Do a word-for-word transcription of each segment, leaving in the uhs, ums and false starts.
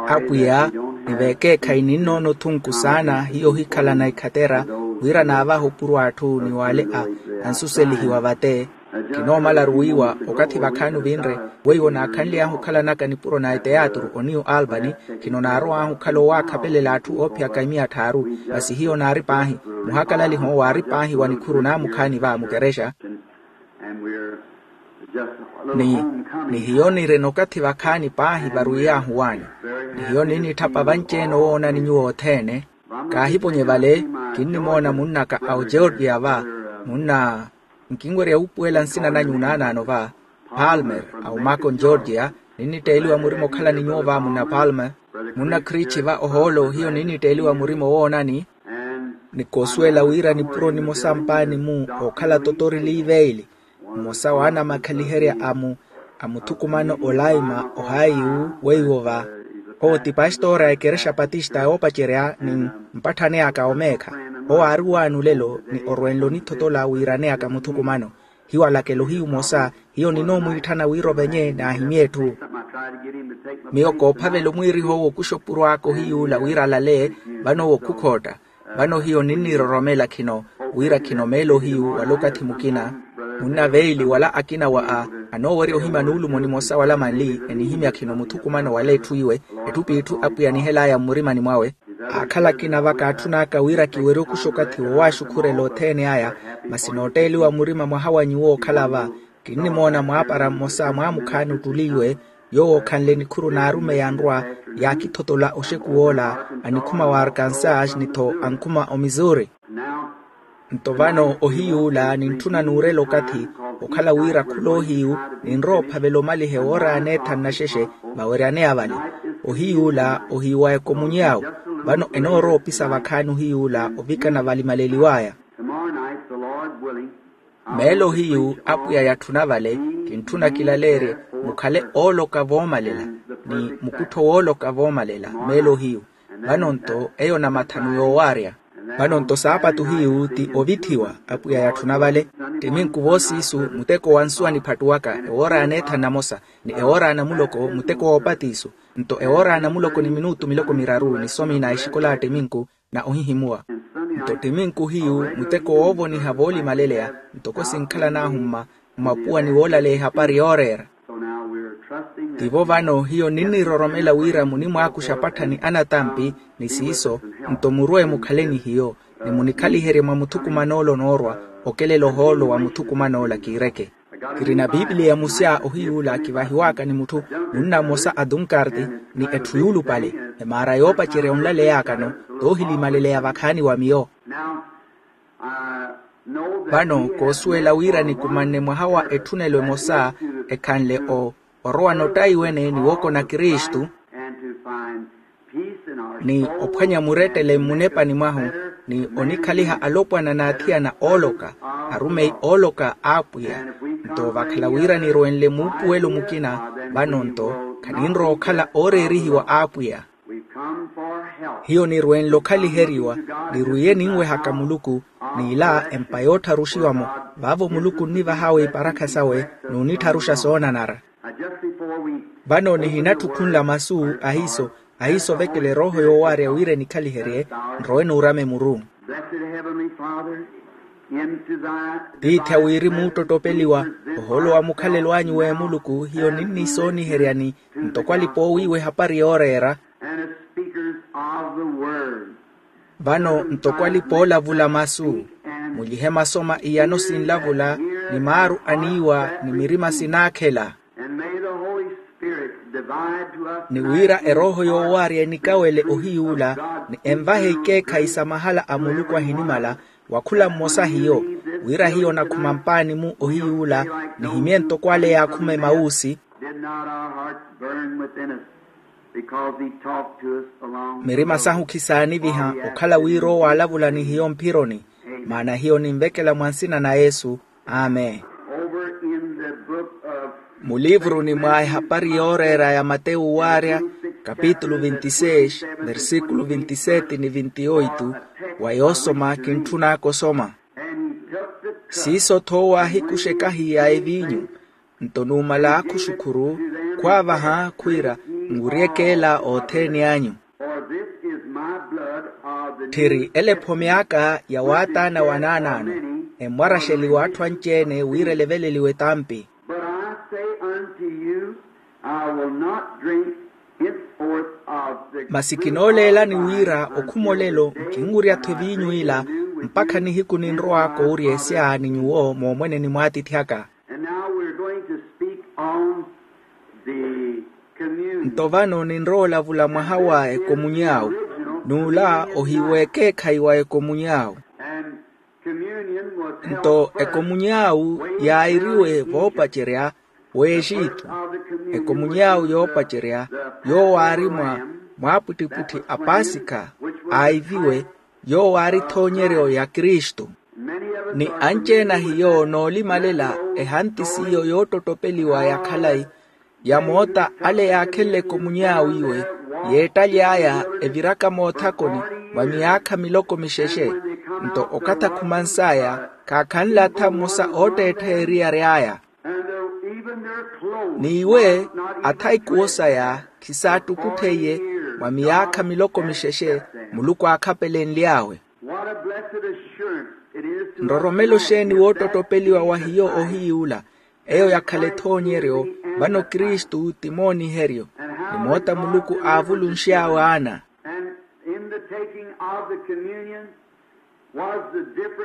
Apwiya, ni veekeekhayi ninnoona othunku saana hiyo ohikhalana ekhatera, wira naavahe opuro atthu ni w'ale a ansuselihiwa vate. Khinoomalaru wiiwa okathi vakhaani ovinre, weiwo naakhanly'ahu okhalanaka nipuro na eteatru oniyu albany. Khino naarow'ahu okhala owakhapelela atthu oophiyaka imiya tthaaru. Masi hiyo naari paahi, muhakalaliho waari paahi wa nikhuru naamukhaani va mukerexa. Ni hiyo nirina okathi vakhaani paahi varwiyahu waani. Ni hiyo ninnitthapa vanci-ene owoonani nyuwo othene. Kaahiponye vale, kinnimoona munnaka a ogeorgia va, munna nkinwerya wuupuwela nsina nanyu naanaano va, palmer, a omacon georgia. Ninnitteeliwa murima okhala ni nyuwo va munna palmer, munna krichi va ohoolo hiyo ninnitteeliwa murima owoonani. Ni koosuwela wira nipuro nimosa mpaani-mu ookhala totori liiveili, mmosa w'anamakhaliherya a muthukumano olaima ohaiyu weiwo va. Owo ti pastora a ekerexa patista yoopacerya ni mpatthani aka omeekha. Owo aari waani olelo ni orwenle onithotola wiirane aka muthukumano. Hiwalakela ohiyu mmosa, hiyo ninoomwiitthana wira ovenye naahimye etthu. Miyo koophavela omwiiriho wokuxa opuro aka ohiyuula wira alale, vano wookhukhotta. Vano hiyo ninniroromela khino, wira khino meelo hiyu wala okathi mukina, munna veili wala akina wa a anoowerya ohimya nuulumo nimosa wala manli enihimya khino muthukumano wala etthu iwe, etthu p'itthu apwiya anihel'aya mmurimani mwawe. Aakhala akina vaka atthun'aka wira kiwerye okuxa okathi wowaaxukhurela othene aya. Masi nootteeliwa murima mwaha wa nyuwo okhala va, kinnimoona mwaapara mmosa mwaamukhaani ottuli iwe, yoowo okhanle nikhuru n'arumeyi anrwa, yaakithotola oxeku woola anikhuma wa arkansas ni-tho ankhuma omissouri. Nto vano ohiyuula nintthuna nuurela okathi, okhala wira khul'ohiyu, ninrowa ophavela omaliha ewoora ya neethanu na xexe, vaweryaneya vale. Ohiyuula ohiyu wa ekomunyawu. Vano enoorowa opisa vakhaani ohiyuula ovikana valimaleliw'aya. Meelo hiyu apwiya yatthuna vale, kintthuna kilaleerye mukhale ooloka voomalela, ni mukuttho wooloka voomalela meelo hiyu. Vano-nto eyo namathanu yoowaarya. Vano-nto saapatu hiyu ti ovithiwa, apwiya yatthuna vale. Ttiminku voosiisu, muteko wa nsuwa niphattuwaka ewoora ya neethanu namosa, ni ewoora ya namuloko muteko woopatiisu. Nto ewoora ya namuloko ni minutu miloko miraru ni somi na exikola ya ttiminku na ohihimuwa. Nto ttiminku hiyu muteko woovoniha voolimaleleya, ntoko sinkhalan'ahu mma mmapuwa ni woolaleya ehapari yooreera. Tivo vano hiyo ninniroromela wira munimwaakuxa apattha ni anatampi ni siiso, nto murwe mukhale ni hiyo, ni munikhaliherye mwa muthukuman'ola onoorwa, okelela ohoolo wa muthukuman'ola kiireke. Kirina pipiliya musya ohiyuula kivahiw'aka ni mutthu munna mmosa a tunkarti, ni etthu yuulupale, emaara yoopacerya onlaley'akano, toohilimaleleya vakhaani wa miyo. Vano koosuwela wira nikumanne mwaha wa etthunelo emosa, ekhanle o orowa nottaiwene ni wookona kristu, ni ophwanya murettele mmunepani mwahu, ni onikhaliha alopwana n'athiyana ooloka, arumeyi ooloka a apwiya. Nto vakhala wira nirwenle muupuwelo mukina, vano-nto khaninrowa okhala ooreerihiwa a apwiya. Hiyo nirwenle okhaliheriwa, nirwiye ninwehaka muluku, n'ila empa yoottharuxiwa-mo. Vaavo muluku onnivah'awe iparakha sawe, n'unittharuxa soonanara. Vano nihinatthi okhunla masu ahiiso, ahiiso ovekela erooho yoowaarya wira enikhaliherye, nrowe nuurame muru. Tiithi a wirimu ottottopeliwa, ohoolo wa mukhalelo anyu w'emuluku hiyo ninnisooniheryani, ntoko alipa oowiiwa ehapari yooreera. Vano ntoko alipa oolavula masu, mulyihe masoma iyano sinlavula, ni maaru aniiwa ni mirima sinaakhela. Ni wira erooho yoowaarya enikawele ohiyuula, ni envahe ikeekhayi sa mahala a muluku ahinimala, wa khula mmosa hiyo, wira hiyo nakhuma mpaani-mu ohiyuula, nihimye ntoko ale yaakhuma emawuusi. Mirima sahu khisaaniviha okhala wira owo aalavula ni hiyo mphironi, maana hiyo ninvekela mwa nsina na yesu. Amen. Mulivuruni mwa ehapari yooreera ya matewu waarya, kapitulu vinte e seis, versikulu vinte e sete ni vinte e oito, wa yoosoma kintthunaka osoma. Siiso-tho owo aahikuxa ekahi ya eviinyu, Nto numala khuxukhuru, khwaavaha khwiira, nwuryeke ela othene anyu. Tthiri ela ephome aka ya waataana wa naanaano, emmwaraxeliwa atthu anci-ene wira eleveleliwe etampi. But I say unto you, I will not drink henceforth of the masi kinooleelani wira okhumolelo nkinwurya-tho eviinyu ila, mpakha nihiku ninrowa koowuryesya ni nyuwo moomweneni mw'atiithi aka. And now we're going to speak on the communion. Nto vano ninrowa olavula mwaha wa ekomuny'awu, n'ula ohiiwa ekeekhayi wa ekomuny'awu. And communion was held nto first. Ekomuny'awu yaayiriwe voopacerya w'exitu. Ekomuny'awu yoopacerya yoowo aari mwa mwaapwittipwitthi a pasikha, aayiviwe, yoowo aari ethoonyeryo ya kristu. Ni anci-ene a hiyo noolimalela ehanti s'iyo yoottottopeliwa ya khalayi, ya moota ale yaakhenle ekomuny'awu iwe, yeettaly'aya eviraka moothakoni mwa miyaakha miloko mixexe. Nto okathi akhumans'aya, khaakhanle atha mmosa ootteettheya eriyari aya. N'iwe atha ikuwo saya khisaattukutheiye mwa miyaakha miloko mixexe muluku aakhapelenly'awe. Nroromelo xeeni woottottopeliwa wa hiyo ohiy'ula, eyo yakhala ethoonyeryo, vano kristu ti mooniheryo, ni moota muluku aavulunx'awe aana.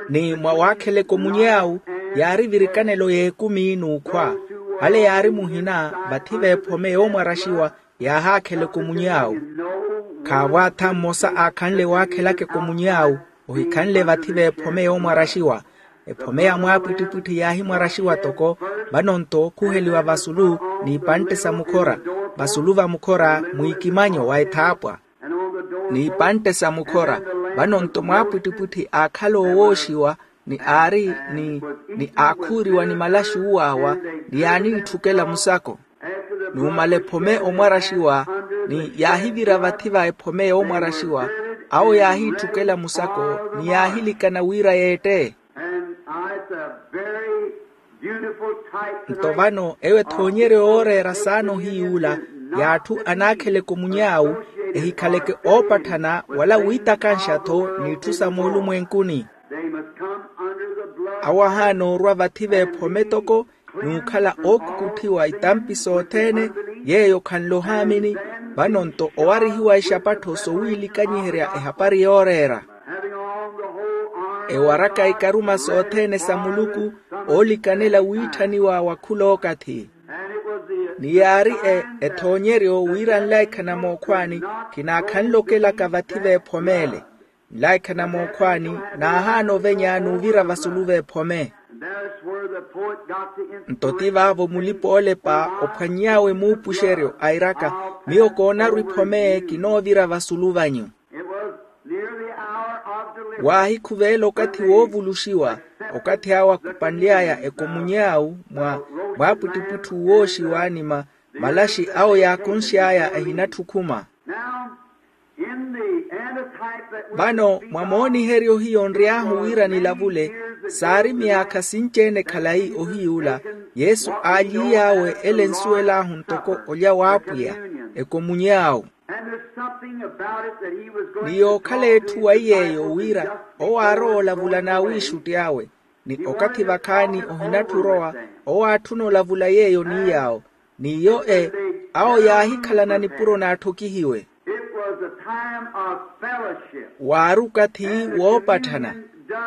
Ni mwa waakhela ekomuny'awu yaari virikanelo y'ekumi n'ukhwa, ale yaari muhina vathi v'ephome yoomwaraxiwa, yaahaakhela ekomuny'awu. Khaavo atha mmosa aakhanle waakhelaka ekomuny'awu, ohikhanle vathi v'ephome yoomwaraxiwa. Ephome ya mwaapwittipwitthi yaahimwaraxiwa toko, vano nto okhuheliwa vasulu n'ipantte sa mukhora, vasulu va mukhora mwiikimanyo wa ethaapwa. N'ipantte sa mukhora, vano nto mwaapwittipwitthi aakhala owooxiwa, ni aari ni ni aakhuuriwa ni malaxi uwaawa, ni yaaniitthukela musako. Numala ephome omwaraxiwa, ni yaahivira vathi va ephome yoomwaraxiwa, awo yaahiitthukela musako ni yaahilikana wira yeette. Nto vano eyo ethoonyeryo yooreera saana ohiy'ula, y'atthu anaakhela ekomuny'awu, ehikhaleke oopatthana wala wiitakanxa-tho n'itthu sa moolumwenkuni. Awo ahaana orwa vathi v'ephome toko, n'ukhala ookukutthiwa itampi sothene, yeeyo khanle ohaamini. Vano nto owarihiwa ixapattho sowiilikanyiherya ehapari yooreera, ewaraka ikaruma sothene sa muluku, oolikanela wiitthaniwa wa khul'okathi. Ni yaari ethoonyeryo wira nlaikhana mookhwaani, khinaakhanle okelaka vathi v'ephome ele. Nlaikhana mookhwaani, naahaana ovenya n'uvira vasulu v'ephome. Nto ti vaavo mulipa-oolepa ophwanny'awe muupuxeryo airaka, miyo koonaru ephome kinoovira vasulu vanyu. Waahikhuvela okathi woovuluxiwa, okathi awo akupanly'aya ekomuny'awu mwa mwaapwittipwitthi uwooxiwa ni ma malaxi awo yaakunx'aya ehinatthi okhuma. Vano mwa mooniheryo hiyo nry'ahu wira nilavule, saari myaakha sinci-ene khalayi ohiy'ula, yesu aalyiiy'awe ele ensuwel'ahu ntoko olya w'apwiya, ekomuny'awu. Ni yookhala etthu wa iy'eyo wira owo aarowa olavula n'awiixutti awe, ni okathi vakhaani ohinatthi orowa, owo aatthuna olavula yeeyo ni yaawo. N'iyo e awo yaahikhalana nipuro n'atthokihiwe. Waari okathi woopatthana.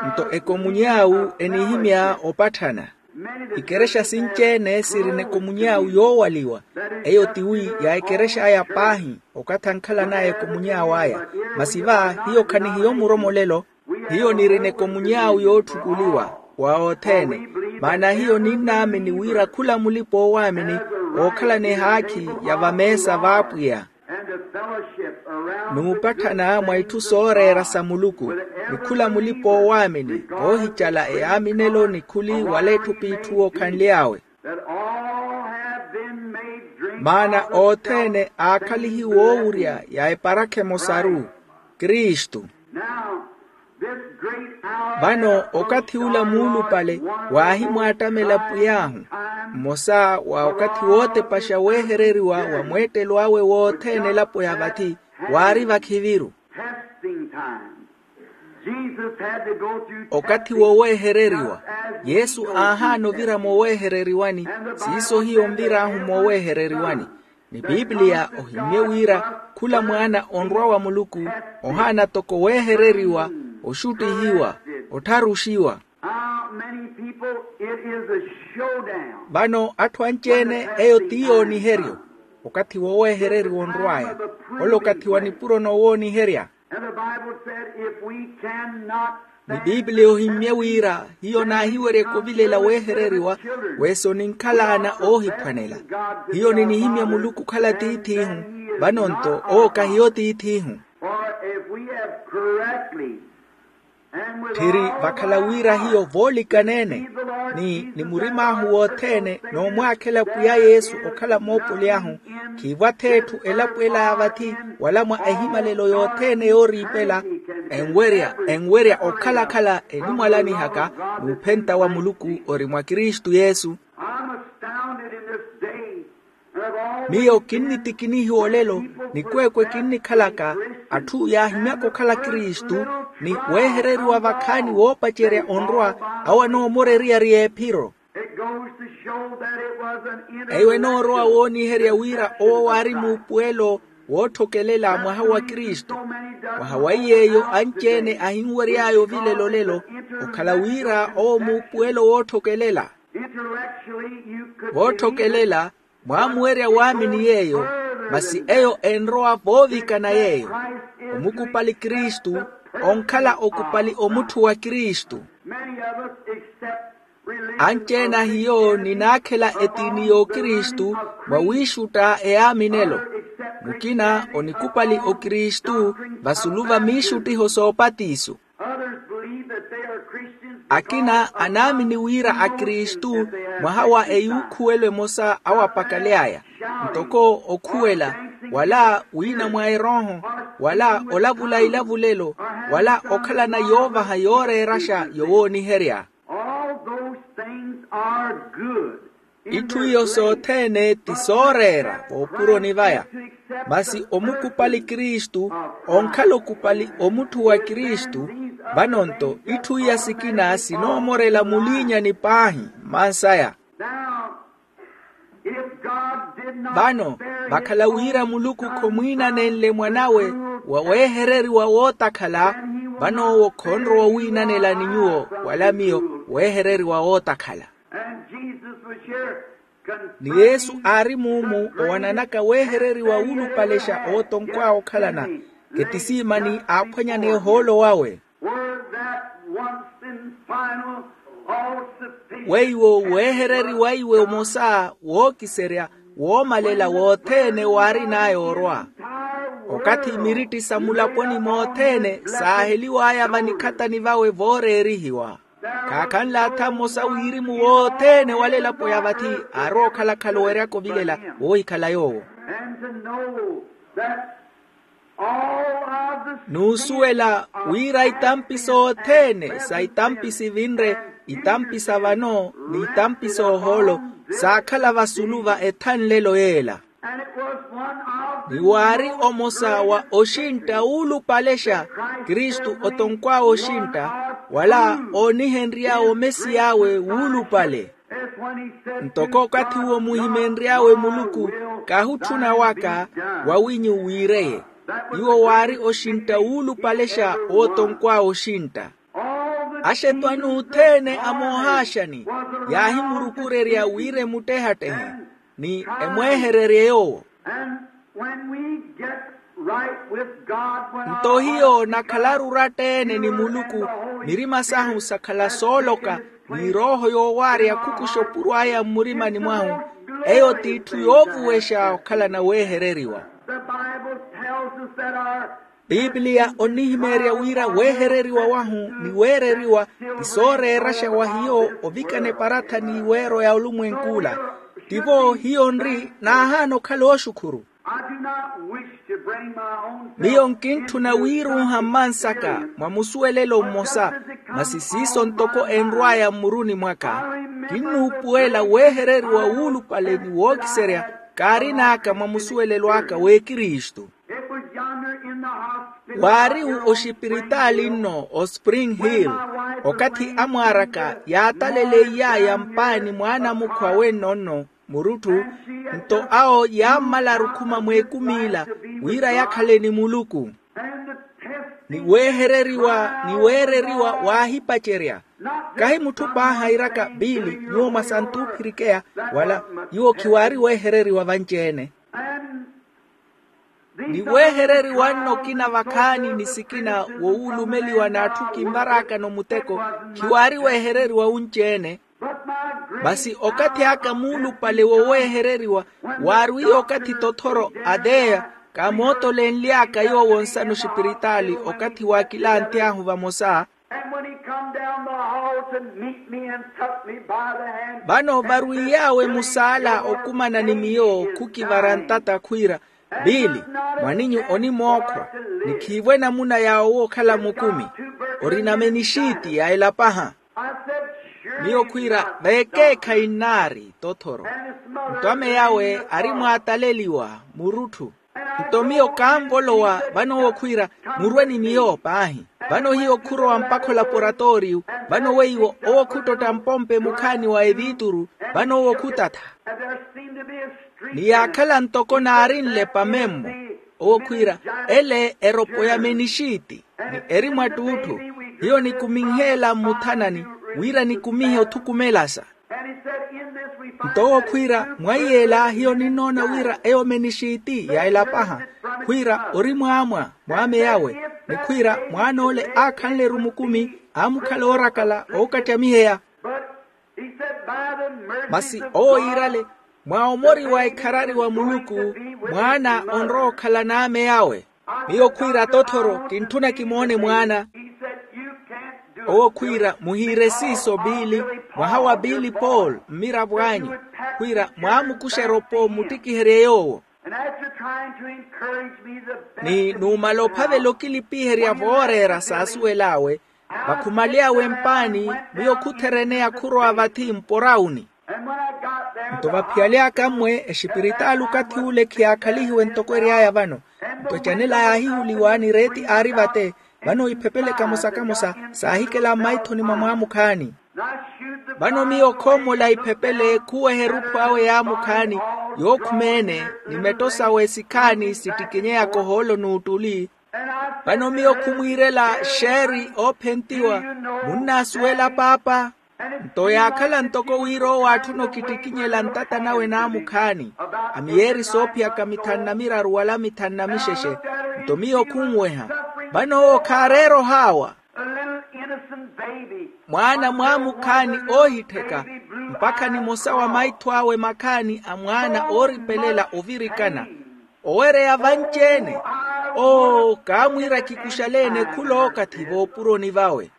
Nto ekomuny'awu enihimya opatthana. Ikerexa sinci-ene sirina ekomuny'awu yoowaliwa. Eyo tiwi ya ekerex'aya paahi, okathi ankhalan'aya ekomuny'awu aya. Masi va hiyo khanihiyo muromolelo. Hiyo nirina ekomuny'awu yootthukuliwa wa othene. Maana hiyo ninnaamini wira khula mulipa-oowaamini ookhalana ehaakhi ya vameesa v'apwiya, n'upatthana mwa itthu sooreera sa muluku, ni khula mulipa-oowaamini voohicala eyaaminelo ni khuli wala etthu p'itthu wookhanly'awe. Maana othene aakhalihiwe oowurya ya eparakha emosaru, kristu. Vano okathi ula muulupale waahimwaattamela pwiy'ahu, mmosa wa okathi wootepaxa weehereriwa wa mweettelo awe wothene elapo ya vathi, waari vakhiviru. Okathi woweehereriwa, yesu aahaana ovira mooweehereriwani. Siiso hiyo onvir'ahu mooweehereriwani. Ni pipiliya ohimmye wira khula mwaana onrwa wa muluku ohaana toko weehereriwa, oxuttihiwa, ottharuxiwa. Vano atthu anci-ene eyo ti yooniheryo. Okathi woweehereriwa onrw'aya, ole okathi wa nipuro noowooniherya. Ni pipiliya ohimmye wira hiyo naahiweryeke ovilela weehereriwa, wesi oninkhal'ana oohiphwanela. Hiyo ninihimya muluku okhala tiith'ihu, vano-nto owo kahiyo tiith'ihu. Tthiri vakhala wira hiyo voolikana-ene, ni ni murim'ahu wothene noomwaakhela pwiya yesu okhala moopoli ahu, khiivwa-tho etthu elapo ela ya vathi wala mwa ehimalelo yothene yooriipela, enwerya enwerya okhala-khala enimwalanihaka, n'uphenta wa muluku ori mwa kristu yesu. Miyo kinnitikinihiwa olelo, nikweekwe kinnikhalaka atthu yaahimyaka okhala kristu, ni weehereriwa vakhaani woopacerya onrwa, awo anoomora eriyari y'ephiro. Eyo enoorowa wooniherya wira owo waari muupuwelo wootthokelela mwaha wa kristu. Mwaha wa iy'eyo anci-ene ahinwery'aya ovilela olelo, okhala wira owo muupuwelo wootthokelela. Vootthokelela, mwaamuwerya waamini yeeyo, masi eyo enrowa voovikana yeeyo. Omukupali kristu onkhala okupali omutthu wa kristu. Anci-ene a hiyo ninaakhela etiini y'okristu mwa wiixutta eyaaminelo. Mukina onikupali okristu vasulu va miixuttiho s'opatiso. Akina anaamini wira akristu mwaha wa eyuukhuwelo emosa awo apakaly'aya, ntoko okhuwela, wala wiina mwa erooho, wala olavula ilavulelo, wala okhalana yoovaha yooreeraxa yowooniherya. Itthu iyo sothene ti sooreera voopuroni vaya. Masi omukupali kristu onkhala okupali omutthu wa kristu. Vano-nto itthu iya sikina sinoomorela muliinyani paahi mmansaya. Vano vakhala wira muluku khomwiinanenle mwan'awe wa weehereriwa wootakhala, vano owo khonrowa owiinanela ni nyuwo wala miyo weehereriwa wootakhala. Ni yesu aari muumu owananaka weehereriwa wuulupalexa owo tonkw'awe okhalana, etisiimani aaphwanyana ehoolo wawe. Weiwo weehereriwa iwe omosa wookiserya woomalela wothene waarin'aya orwa. Okathi miritti sa mulaponi mothene saaheliw'aya vanikhathani vawe vooreerihiwa. Khaakhanle atha mmosa wirimu wothene wala elapo ya vathi aarowa okhala-khala oweryaka ovilela woohikhala yoowo. N'usuwela wira itampi sothene sa itampi sivinre, itampi sa vano ni itampi soohoolo saakhala vasulu va ethanlelo yeela. Ni waari omosa wa oxintta wuulupalexa kristu otonkw'awe oxintta wala oonihenry'awe omesiy'awe wuulupale. Ntoko okathi uwo muhimenry'awe muluku, kahutthuna waka wawinyu wiireye. Iwo waari oxintta wuulupalexa wootonkw'awe oxintta. Axetwani othene a moohaaxani yaahimurukurerya wira emuttehattehe ni emweehererye yoowo. Nto hiyo nakhalaru oratta-ene ni muluku, mirima sahu sakhala sooloka ni erooho yoowaarya khukuxa opuro aya mmurimani mwahu. Eyo t'itthu yoovuwexa okhalana weehereriwa. Pipiliya onnihimeerya wira weehereriwa wahu ni weereriwa ti sooreeraxa wa hiyo ovikana eparathani w'iweero ya olumwenk'ula. Tivo hiyo nri naahaana okhala ooxukhuru. Miyo nkintthuna wiiruuha mmansaka mwa musuwelelo mmosa, masi siiso ntoko enrw'aya mmuruni mwaka, kinnuupuwela weehereriwa wuulupale ni wookiserya kaarin'aka mwa musuwelelo aka w'ekristu. Waari oxipiritaali nno o spring hill, okathi amwaaraka yaataleleiyaaya mpaani mwaanamukhwa wenno nno murutthu, nto awo yaammala arukhuma mw'ekum'ila wira yakhale ni muluku. Ni weehereriwa ni weereriwa waahipacerya. Kahi mutthu paahi airaka biili nyuwo mwa santuphirikeya, wala nyuwo khiwaari weehereriwa vanci-ene. Ni weehereriwa nno okina vakhaani ni sikina wowuulumeliwa n'atthu kinvaraakano muteko, khiwaari weehereriwa wunci-ene. Masi okathi aka muulupale woweehereriwa waarwiiye okathi tothoro ateya, kaamootolenly'aka yoowo nsana oxipiritaali okathi waakilanthy'ahu vamosa. And when he come down the hall to meet me and took me by the hand, vano varwiiy'awe musaala okumana ni miyo khukivara ntata khwiira, biili, mwaninyu onimookhwa, ni khiivwe namuna ya owo okhala mukumi, orina menixiiti ya elapaha. Miyo khwiira veekeekhayi nnaari tothoro. Nto ame yawe ari mwaataleliwa murutthu. Nto miyo kaanvolowa vano owo khwiira, murwe ni miyo paahi. Vano hiyo khurowa mpakha olaporatoriyu, vano weiwo owo khuttotta mpompe mukhaani wa eviituru, vano owo khutatha. Ni yaakhala ntoko naarinle pamemmo, owo khwiira, ele eropo ya menixiiti, ni eri mwa ttuutthu. Hiyo nikuminheela mmuthanani, wira nikumihe othukumelasa. Nto owo khwiira, mwaiy'ela hiyo ninnoona wira eyo menixiiti ya elapaha, khwiira ori mwaamwa mwaame yawe, ni khwiira mwaan'ole aakhanle-ru mukumi, aamukhala oorakala ookattamiheya. Masi owo yiirale, mwa omori wa ekharari wa muluku, mwaana onrowa okhala n'ame yawe. Miyo khwiira tothoro kintthuna kimoone mwaana. Owo khwiira muhiire siiso biili, mwaha wa biili paul mmiravo anyu, khwiira mwaamukuxa eropo mmuttikiherye yoowo. Ni numala ophavela okilipiherya vooreera saasuwel'awe, vakhumaly'awe mpaani, miyo khuthereneya khurowa vathi mporauni. Nto vaphiyaly'aka mmwe exipiritaali okathi ule khiyaakhalihiwe ntoko ery'aya vano. Nto ecanela yaahihuliwa ni reeti aari vate, vano iphepele kamosa-kamosa saahikela mmaithoni mwa mwaamukhaani. Vano miyo khoomola iphepele khuweha erutthu awe yaamukhaani, yookhumeene, ni metto sawe sikhaani sittikinyeyaka ohoolo n'uttuli. Vano miyo khumwiirela xeeri oophentiwa, munnaasuwela paapa? Nto yaakhala ntoko wira owo aatthuna okittikinyela ntata nawe naamukhaani, a miyeeri soophiyaka mithanu na miraru wala mithanu na mixexe. Nto miyo khunweha, vano owo khaareera ohaawa. Mwaana mwaamukhaani oohittheka, mpakha nimosa wa maitho awe makhaani a mwaana ooripelela ovirikana, owereya vanci-ene. Oo, kaamwiira kikuxale-ene khul'okathi voopuroni vawe.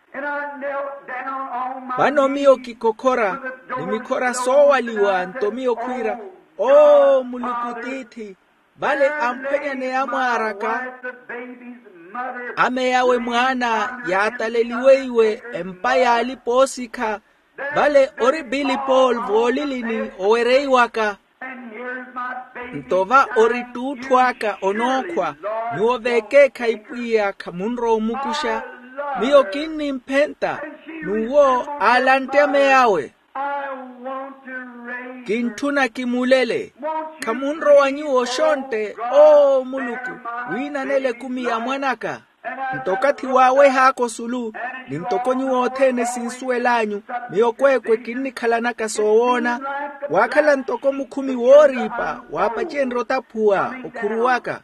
Vano miyo kikhokhora, ni mikhora soowaliwa nto miyo khwiira, oo muluku tiithi, vale amphwanyaneya mwaaraka. Ame yawe mwaana yaataleliweiwe empa y'alipa oosikha, vale ori billy paul voolilini owereiwaka. Nto va ori ttuutthu aka onookhwa. Nyuwo veekeekhayi pwiya khamunrowa omukuxa. Miyo kinnimphenta. N'uwo aalantte ame yawe. Kintthuna kimulele. Khamunrowa nyuwo xontte, oo muluku, wiinanela ekumi ya mwan'aka. Nto okathi waaweh'aka osulu, ni ntoko nyuwo othene sinsuwel'anyu, miyo kweekwe kinnikhalanaka soowoona. Waakhala ntoko mukhumi wooriipa waapacenrye otaphuwa okhuruw'aka.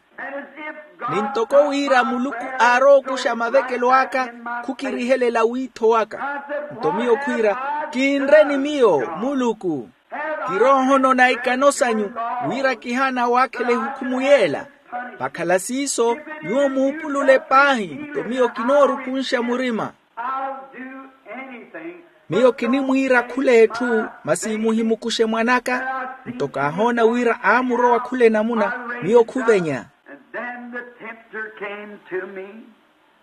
Ni ntoko wira muluku aarowa okuxa mavekelo aka, khukirihelela wiitho waka. Nto miyo khwiira, kinre ni miyo muluku. Kiroohonona ikano sanyu, wira kihaana waakhela ehukhumu yeela. Vakhala siiso, nyuwo muupulule paahi nto miyo kinoorukunxa murima. Miyo kinimwiira khula etthu, masi muhimukuxe mwan'aka. Nto kaahoona wira aamurowa khula enamuna, miyo khuvenya.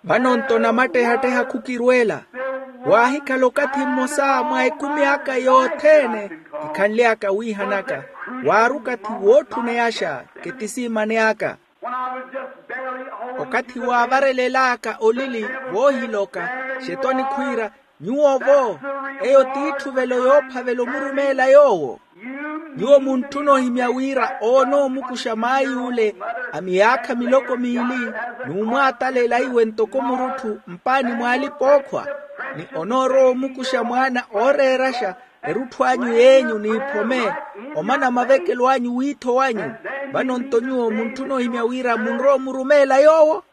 Vano-nto namattehatteha khukirweela. Waahikhala okathi mmosa mwa ekumi aka yothene kikhanly'aka wiihanaka, waari okathi wootthuneyaxa, ketisiimani aka. Okathi waavarelel'aka olili, voohiloka, xetoni khwiira, nyuwo-vo, eyo t'itthuvelo yoophavela omurumeela yoowo. Nyuwo muntthuna ohimya wira oonoomukuxa maay'ule a miyaakha miloko miili, n'umwaatalela iwe ntoko murutthu mpaani mw'alipa-ookhwa, ni onoorowa omukuxa mwaana ooreeraxa erutthu anyu y'enyu n'iphome, omana mavekelo anyu w'iitho wanyu. Vano-nto nyuwo muntthuna ohimya wira munrowa omurumeela yoowo.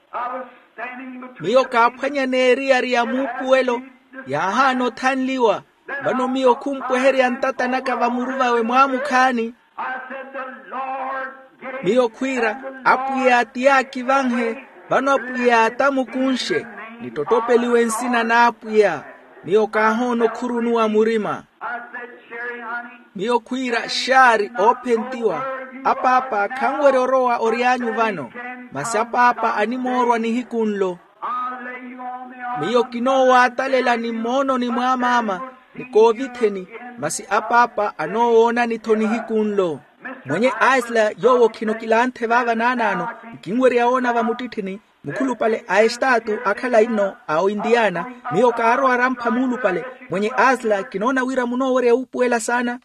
Miyo kaaphwanyana eriyari ya muupuwelo, yaahaana othanliwa. Vano miyo khumpweherya ntata naka vamuru vawe mwaamukhaani. Miyo khwiira, apwiya ti yaakivanhe. Vano apwiya atamukunxe, nittottopeliwe nsina n'apwiya. Miyo kaahoona okhurunuwa murima. Miyo khwiira, xaari oophentiwa. Apaapa khanwerya orowa ory'anyu vano, masi apaapa animoorwa nihiku nlo. Miyo kinoowaatalela ni mmoononi mw'amaama, ni koovitheni, masi apaapa anoowoonani-tho nihiku nlo. Mwenye asla yoowo khino kilanthe vaava naanaano, nkinwerya woona vamuttitthini, mukhulupale a estaatu akhala inno a oindiyaana. Miyo kaarowa arampha muulupale. Mwenye asla kinoona wira munoowerya wuupuwela saana.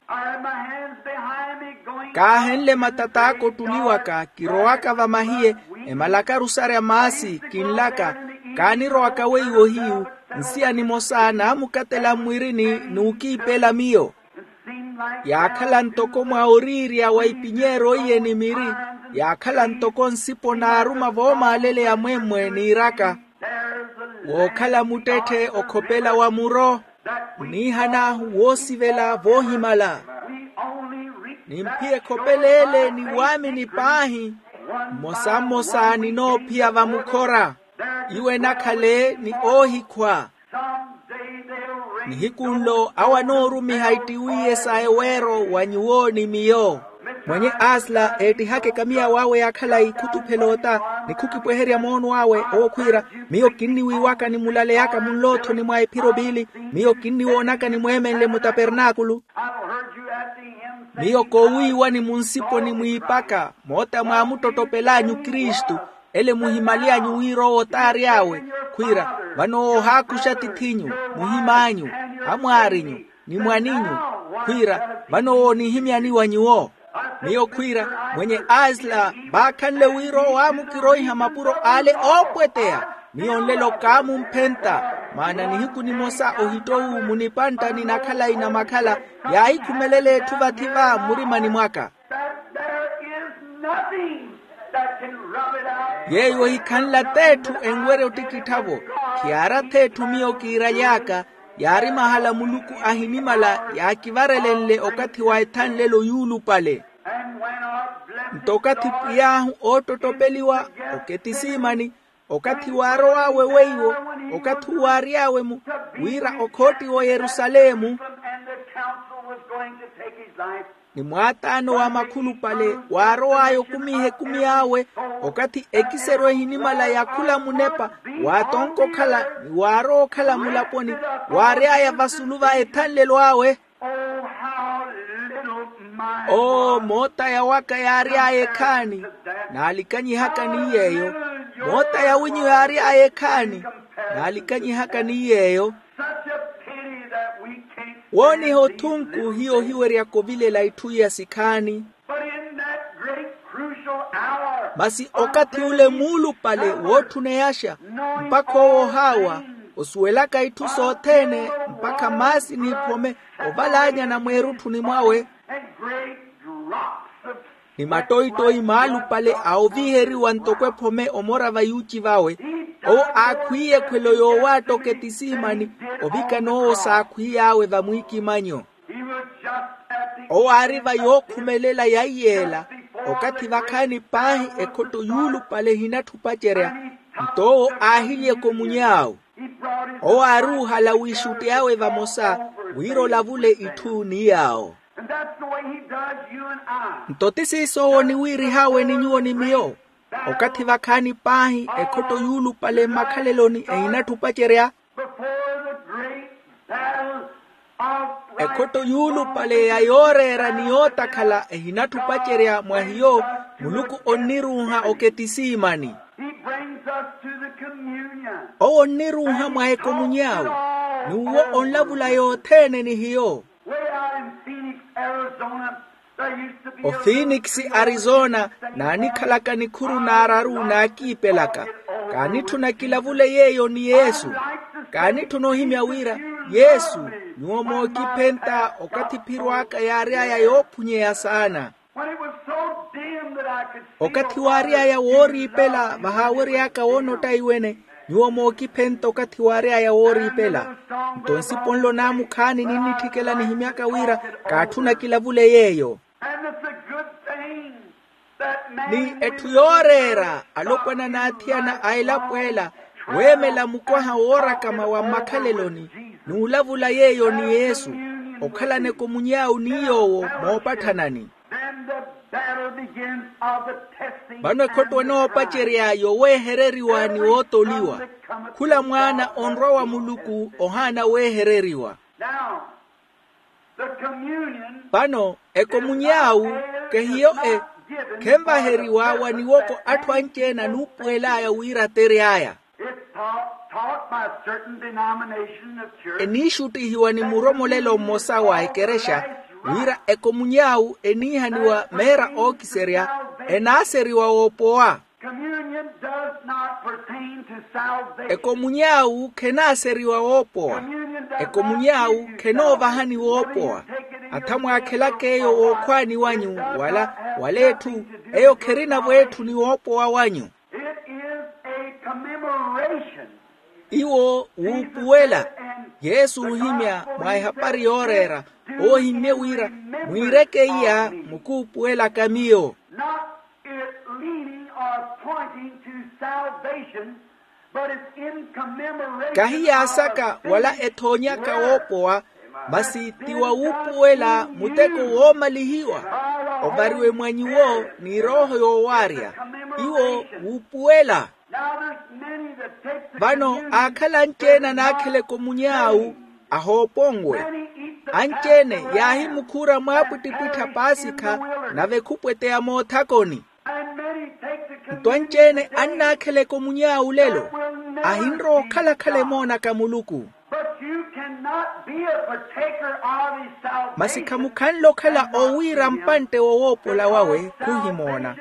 Kaahenle matat'aka ottuliwaka kirowaka vamahiye, emalakaru sarya maasi kinlaka, kaanirowaka weiwo hiyu, nsiya nimosa naamukatela mmwirini n'ukiipela miyo. Yaakhala ntoko mwa oriirya wa ipinyeero iye ni miri, yaakhala ntoko nsipo naaruma voomaaleleya mwemmwe niiraka. Wookhala muttetthe okhopela wa muro, oniihan'ahu woosivela voohimala. Nimphiye ekhopela ele ni waamini paahi, mmosa mmosa ninoophiya vamukhora. Iwo enakhale ni oohikhwa. Nihiku nlo awo anoorumiha ittiwiiye sa eweero wa nyuwo ni miyo. Mwenye asla eettihaka ekamiya wawe ya khalayi khutuphela ota, ni khukipweherya moono awe owo khwiira, miyo kinniwiiwaka ni mulaleyaka munloothoni mwa ephiro piili, miyo kinniwoonaka nimweemenle mutapernaakulu. Miyo koowiiwani munsiponi mwiipaka moota mwaamuttottopel'anyu kristu, ele muhimaly'anyu wira owo t'ary'awe. Khwiira, vano ohaakuxa atith'inyu, muhim'anyu, amwaarinyu, ni mwaninyu. Khwiira, vano owo onihimyani wa nyuwo. Miyo khwiira, mwenye asla vaakhanle wira owo aamukiroiha mapuro ale oopweteya. Miyo nlelo kaamumphentta, maana nihiku nimosa ohittowu munipanttani na khalayi na makhala, yaahikhumelela etthu vathi va mmurimani mwaka. Yeeyo ohikhanla t'etthu enwerya ottikittha-vo. Khiyaara th'etthu miyo kiiraly'aka, yaari mahala muluku ahinimala yaakivarelenle okathi wa ethanlelo yuulupale. Nto okathi pwiy'ahu oottottopeliwa, oketisiimani, okathi waarow'awe weiwo, okathi uwo aary'awe mu, wira okhoottiwa oyerusalemu, ni mwaataano wa makhulupale waarow'aya okumiiha ekumi awe, okathi ekiseru ehinimala ya khula munepa, waatonka okhala ni waarowa okhala mulaponi, waary'aya vasulu va ethanlelo awe. Oo, moota ya waka yaary'aya ekhaani, naalikanyihaka ni yeeyo. Moota ya winyu yaary'aya ekhaani, naalikanyihaka ni yeeyo. Wooniha othunku hiyo ohiweryaka ovilela itthu iya sikhaani. Masi okathi ule muulupale wootthuneyaxa, mpakha owo ohaawa, osuwelaka itthu sothene, mpakha maasi n'iphome oval'anyana mweerutthuni mwawe, ni mattoittoyi maalupale a oviheriwa ntoko ephome omora va yuuci vawe. Owo aakhwiiye ekhwelo yoowaatta oketisiimani, ovikana owo saakhwiiy'awe vamwiikimanyo. Owo aari va yookhumelela ya iyeela, okathi vakhaani paahi ekhotto yuulupale ehinatthupacerya. Nto owo aahilyeka omuny'awe. Owo aari oohala wiixuttey'awe vamosa, wira olavule itthu ni yaawo. Nto ti siiso owo oniwiirih'awe ni nyuwo ni miyo. Okathi vakhaani paahi ekhotto yuulupale mmakhaleloni ehinatthi opacerya. Before the great battle of ekhotto yuulupale ya yooreera ni yootakhala ehinatthi opacerya mwa hiyo, muluku onniruuha oketisiimani. He brings us to the communion. Owo onniruuha mwa ekomuny'awe, n'uwo onlavula yothene ni hiyo. Way out in Phoenix, Arizona, there used to be a little ofinix, arizona, naanikhalaka nikhuru naararu naakiipelaka. Kaanitthuna kilavule yeeyo ni yesu. Kaanitthuna ohimya wira, yesu, nyuwo mookiphenta okathi phiro aka yaary'aya yoophunyeya saana. When it was so dim that I could see okathi waary'aya wooriipela vahaawery'aka woona ottaiwene. Nyuwo mookiphenta okathi waary'aya wooriipela. Nto nsipo nlo naamukhaani ninnitthikela nihimyaka wira kaatthuna kilavule yeeyo. And it's a good thing that man ni etthu yooreera alopwana n'athiyana a elapo ela, weemela mukwaha woorakama wa mmakhaleloni n'ulavula yeeyo ni yesu, okhalana ekomuny'awu ni yoowo moopatthanani. Then the battle begins of the testing. Vano ekhotto enoopacerya yoweehereriwa ni wootoliwa. Khula mwaana onrwa wa muluku ohaana weehereriwa. Now, the communion. Vano ekomuny'awu kehiyo e, khenvaheriwa wa niwoko atthu anci-ene anuupuwel'aya wira atery'aya. It's taught, taught by a certain denomination of church. Eniixuttihiwa ni muromolelo mmosa wa ekerexa wira ekomuny'awu eniihaniwa meera ookiserya, enaaseriwa woopowa. Communion does not pertain to salvation. Ekomuny'awu khenaaseriwa woopowa. Ekomuny'awu khenoovahani woopowa. Atha mwaakhelaka eyo wookhwaani wanyu, wala wala etthu eyo kherinavo etthu ni woopowa wanyu. It is a commemoration. Iwo wuupuwela. Yesu oohimya mwa ehapari yooreera, oohimmye wira mwiireke iya mukuupuwelaka miyo. Not it leaning or pointing to salvation, but it's in commemoration. Kahi yaasaka wala ethoonyaka woopowa, masi ti wa wuupuwela muteko woomalihiwa ovariwe mwa nyuwo ni erooho yoowaarya. Iwo wuupuwela. Vano aakhala anci-ene anaakhela ekomuny'awu ahooponwe. Anci-ene yaahimukhuura mwaapwittipwitthi a paasikha, nave khupweteya moothakoni. Nto anci-ene annaakhela ekomuny'awu lelo, ahinrowa okhalakhala emoonaka muluku. But you cannot be a partaker of his salvation. Masi khamukhanle okhala owiira mpantte wowoopola wawe khuhimoona.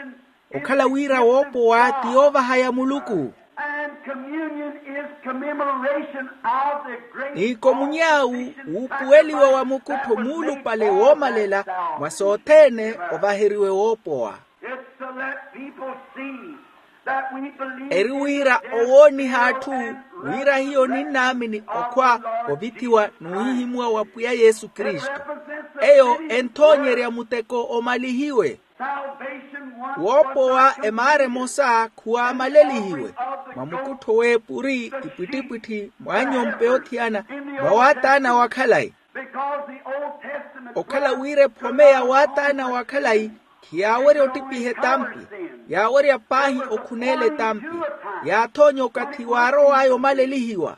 Okhala wira woopowa ti yoovahaya muluku. And communion is commemoration of the great ni komunyawu wuupuweliwa wa mukuttho muulupale woomalela mwa sothene ovaheriwe woopowa. It's to let people see that we believe eri wira owooniha atthu wira hiyo ninnaamini okhwa ovithiwa n'uhihimuwa wa pwiya yesu kristu. Eyo enthoonyerya muteko omalihiwe. Woopowa emaara emosa khuwaamalelihiwe mwa mukuttho w'epuri ipwittipwitthi mwa nyompe othiyana mwa waataana wa khalayi. Okhala wira ephome ya waataana wa khalayi khiyaawerya ottipiha etampi. Yaawerya paahi okhuneela etampi. Yaathoonya okathi waarow'aya omalelihiwa.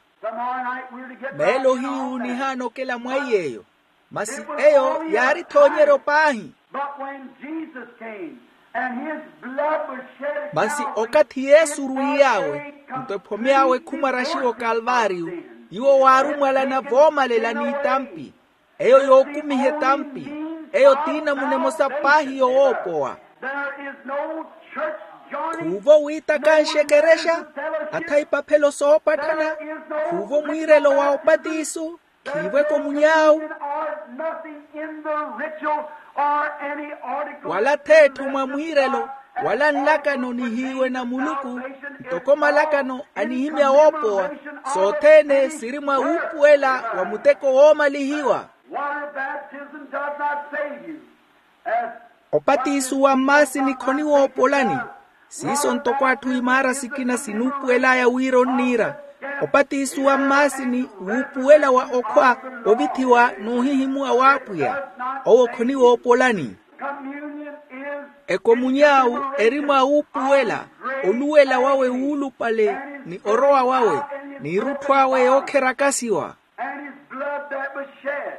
Meelo hiyu nihaana okela mwa iy'eyo. Masi eyo yaarithoonyeryo paahi. Masi okathi yesu orwiiy'awe nto ephome awe khumwaraxiwa okalvaariyu. Iwo waarumwalana voomalela n'itampi. Eyo yookumiha etampi. Eyo t'inamuna emosa paahi yowoopowa. Khuuvo wiitakanxe ekerexa atha ipaphelo soopatthana. Khuuvo mwiirelo wa opatiso. Khiivo ekomunyawu wala th'etthu mwa mwiirelo wala nlakano nihiiwe na muluku ntoko malakano anihimya woopowa. Sothene siri mwa wuupuwela wa muteko woomalihiwa. Opatiso wa mmaasini khoniwoopolani. Siiso ntoko atthu imaara sikina sinuupuwel'aya wira onniira opatiso wa mmaasini wuupuwela wa okhwa ovithiwa n'uhihimuwa w'apwiya. Owo khoniwoopolani. Ekomunyawu eri mwa wuupuwela. oluwela wawe wuulupale, ni orowa wawe, n'irutthu awe yookherakasiwa. And his blood that was shed,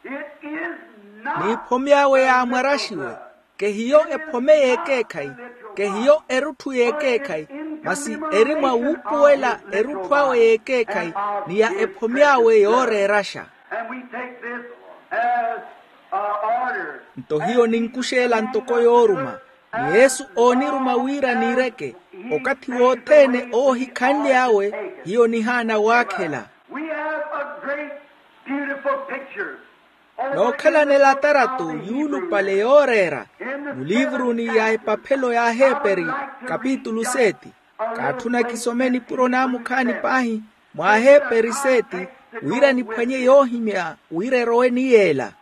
it is not n'iphome awe yaamwaraxiwe. Kehiyo ephome y'ekeekhayi, kehiyo erutthu y'ekeekhayi, masi eri mwa wuupuwela erutthu awe y'ekeekhayi, ni ya ephome awe yooreeraxa. And we take this as a order. Nto hiyo ninkuxeela ntoko yooruma, ni yesu ooniruma wira niireke. Okathi wothene oohikhanly'awe, hiyo nihaana waakhela. We have a great, beautiful picture. Nookhalanela tarato yuulupale yooreera, muliivuruni ya epaphelo y'aheeperi, kapitulu seti. Kaatthuna kisome nipuro naamukhaani paahi, mw'aheeperi seti, wira niphwanye yoohimya wira erowe ni yeela.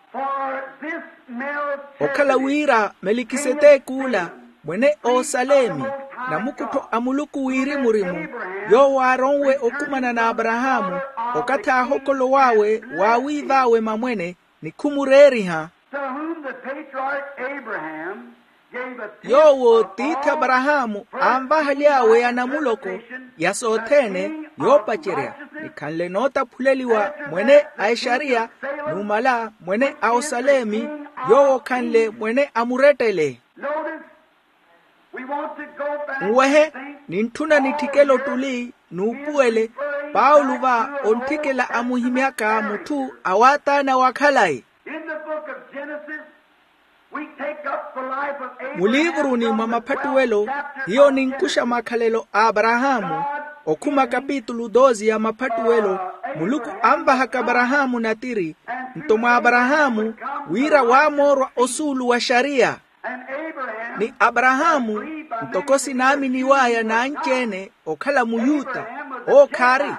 Okhala wira melikiseteki ula, mwene osalemi, namukuttho a muluku wirimu-rimu, yoowo aaronwe okumana n'aparahaamu, okathi aahokolow'awe waawiiv'awe mamwene, ni khumureeriha. To whom the patriarch Abraham gave a tenth of all his possessions. Yoowo tiithi aparahaamu aanvahaly'awe anamuloko, ya sothene, yoopacerya, nikhanle nootaphuleliwa mwene a exariya, numala mwene a osalemi, yoowo okhanle mwene a murettele. Notice, we want to go back. Nwehe, nintthuna nitthikele ottuli n'upuwele. Paulo va ontthikela amuhimyaka mutthu awaataana wa khalayi. In the book of Genesis, we take up the life of Abraham. Muliivuruni mwa maphattuwelo, hiyo ninkuxa makhalelo a aparahaamu. Okhuma kapitulu doze ya maphattuwelo, muluku anvahaka aparahaamu natiri, nto mwa aparahaamu, wira waamoorwa osuulu wa xariya. Ni aparahaamu, ntoko sinaaminiw'aya n'anci-ene okhala muyuta, owo khaari.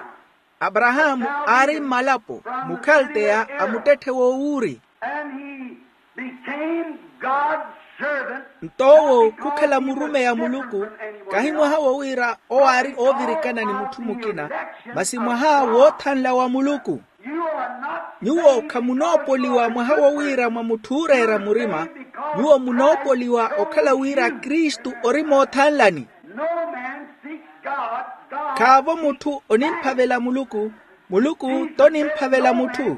Aparahaamu aari mmalapo, mukhalteya a muttetthe w'owuuri. And he became God's servant. Nto owo khukhala murumeyi a muluku, kahi mwaha wo wira owo aari oovirikana ni mutthu mukina, masi mwaha woothanla wa muluku. Nyuwo khamunoopoliwa mwaha wo wira mwa mutthu ooreera murima, nyuwo munoopoliwa okhala wira kristu ori moothanlani. Khaavo mutthu onimphavela muluku, muluku t'onimphavela mutthu.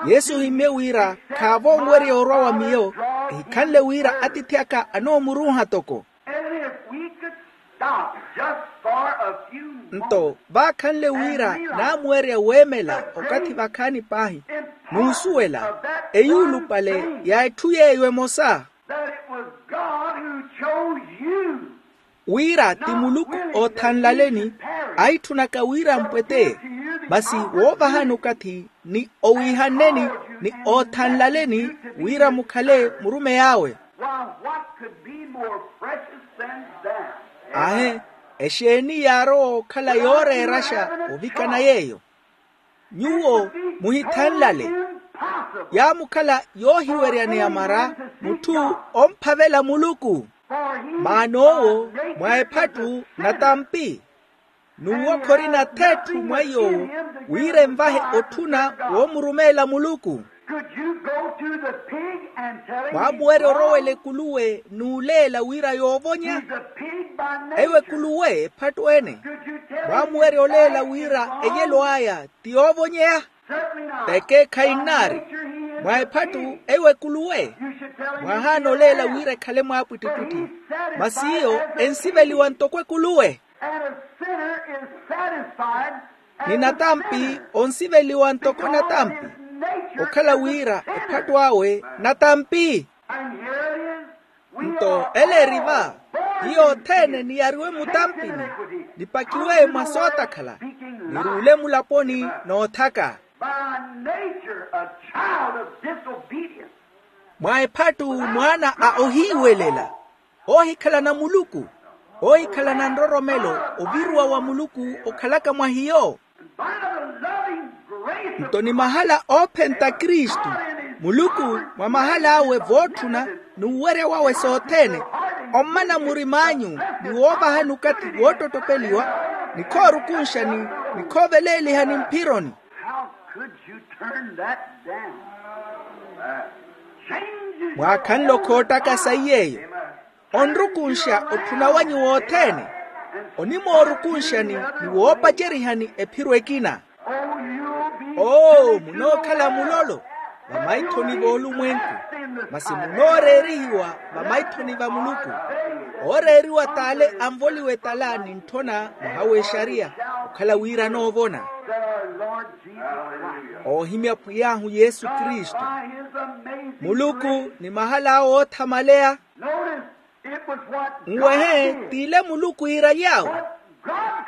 Yesu ohimmye wira khaavo onwerya orwa wa miyo, ehikhanle wira atiithi aka anoomuruuha toko. Nto vaakhanle wira naamuwerya weemela okathi vakhaani paahi, n'usuwela eyuulupale ya etthu yeeyo emosa, wira ti muluku oothanlaleni, aitthunaka wira mpweteye, masi woovahani okathi ni owiihanneni ni oothanlaleni wira mukhale murumeyi awe. Ahe, exeeni yaarowa okhala yooreeraxa ovikana yeeyo? Nyuwo muhithanlale. Yaamukhala yoohiweryaneya mara mutthu omphavela muluku, maana owo mwa ephattu natampi. N'uwo khorina thetthu mwa iy'owo wira envahe otthuna woomurumeela muluku. Mwaamuwerya orowela ekuluwe n'uleela wira yoovonya? Eyo ekuluwe ephattu ene. Mwaamuwerya oleela wira eyelo aya ti yoovonyeya? Teke khainnaari. Mwa ephattu eyo ekuluwe. Mwaahaana oleela wira ekhale mwaapwittipwitthi, masi iyo ensiveliwa ntoko ekuluwe. Ni natampi onsiveliwa ntoko natampi, okhala wira ephattu awe natampi. Nto ela eri va, hiyo othene niyariwe mutampini, nipakiwe mwa sootakhala, niruule mulaponi noothaka. Mwa ephattu mwaana a ohiiwelela, oohikhalana muluku, oohikhalana nroromelo oviruwa wa muluku okhalaka mwa hiyo. Nto ni mahala oophenta kristu, muluku mwa mahala awe vootthuna n'uwerya wawe sothene, ommana murim'anyu ni woovahani okathi woottottopeliwa, ni khoorukunxani, ni khooveleelihani mphironi. Mwaakhanle okhoottaka sayi yeeyo, onrukunxa otthuna wanyu wothene. Onimoorukunxani ni woopacerihani ephiro ekina. Oo, munookhala mulolo vamaithoni v'olumwenku, masi munooreerihiwa vamaithoni va muluku. Ooreeriwa t'ale anvoliwe tala ni ntthona mwaha w'exariya, okhala wira anoovona. Oohimya pwiy'ahu yesu kristu. Muluku ni mahala awe oothamaleya. Nwehe, t'ile muluku iiraly'awe.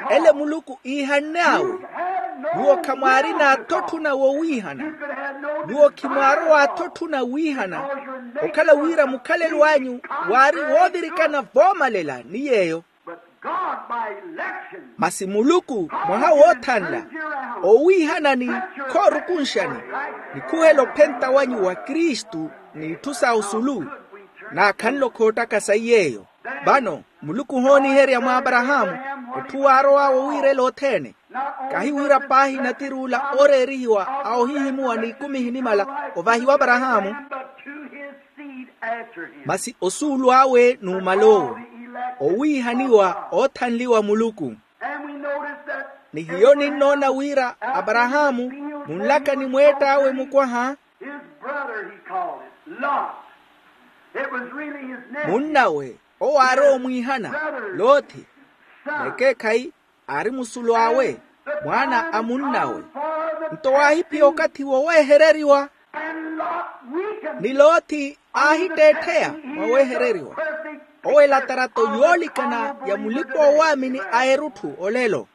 Ele muluku iihanne awe. Nyuwo khamwaari n'athotthuna wowiihana. Nyuwo khimwaarowa athotthuna wiihana, okhala wira mukhalelo anyu waari woovirikana voomalela ni yeeyo. Masi muluku mwaha woothanla, owiihanani, khoorukunxani, nikhuhela ophenta wanyu wa kristu, n'itthu sa osulu, naakhanle okhoottaka sayi yeeyo. Vano muluku ohooniherya mw'aparahaamu, otthu waarow'awe owiirela othene. Kahi wira paahi natir'ula ooreerihiwa a ohihimuwa n'ikumi ehinimala ovahiwa aparahaamu, masi osuulu awe n'umal'owo, owiihaniwa oothanliwa muluku. Ni hiyo ninnoona wira aparahaamu, munlaka ni mweett'awe mukwaha, munnawe owo aarowa omwiihana, lothi, n'ekeekhayi aari musulu awe, mwaana a munnawe. Nto waahiphiya okathi woweehereriwa, ni lothi aahitteettheya mwaweehereriwa, owo elatarato yoolikana ya mulipa-oowaamini a erutthu olelo.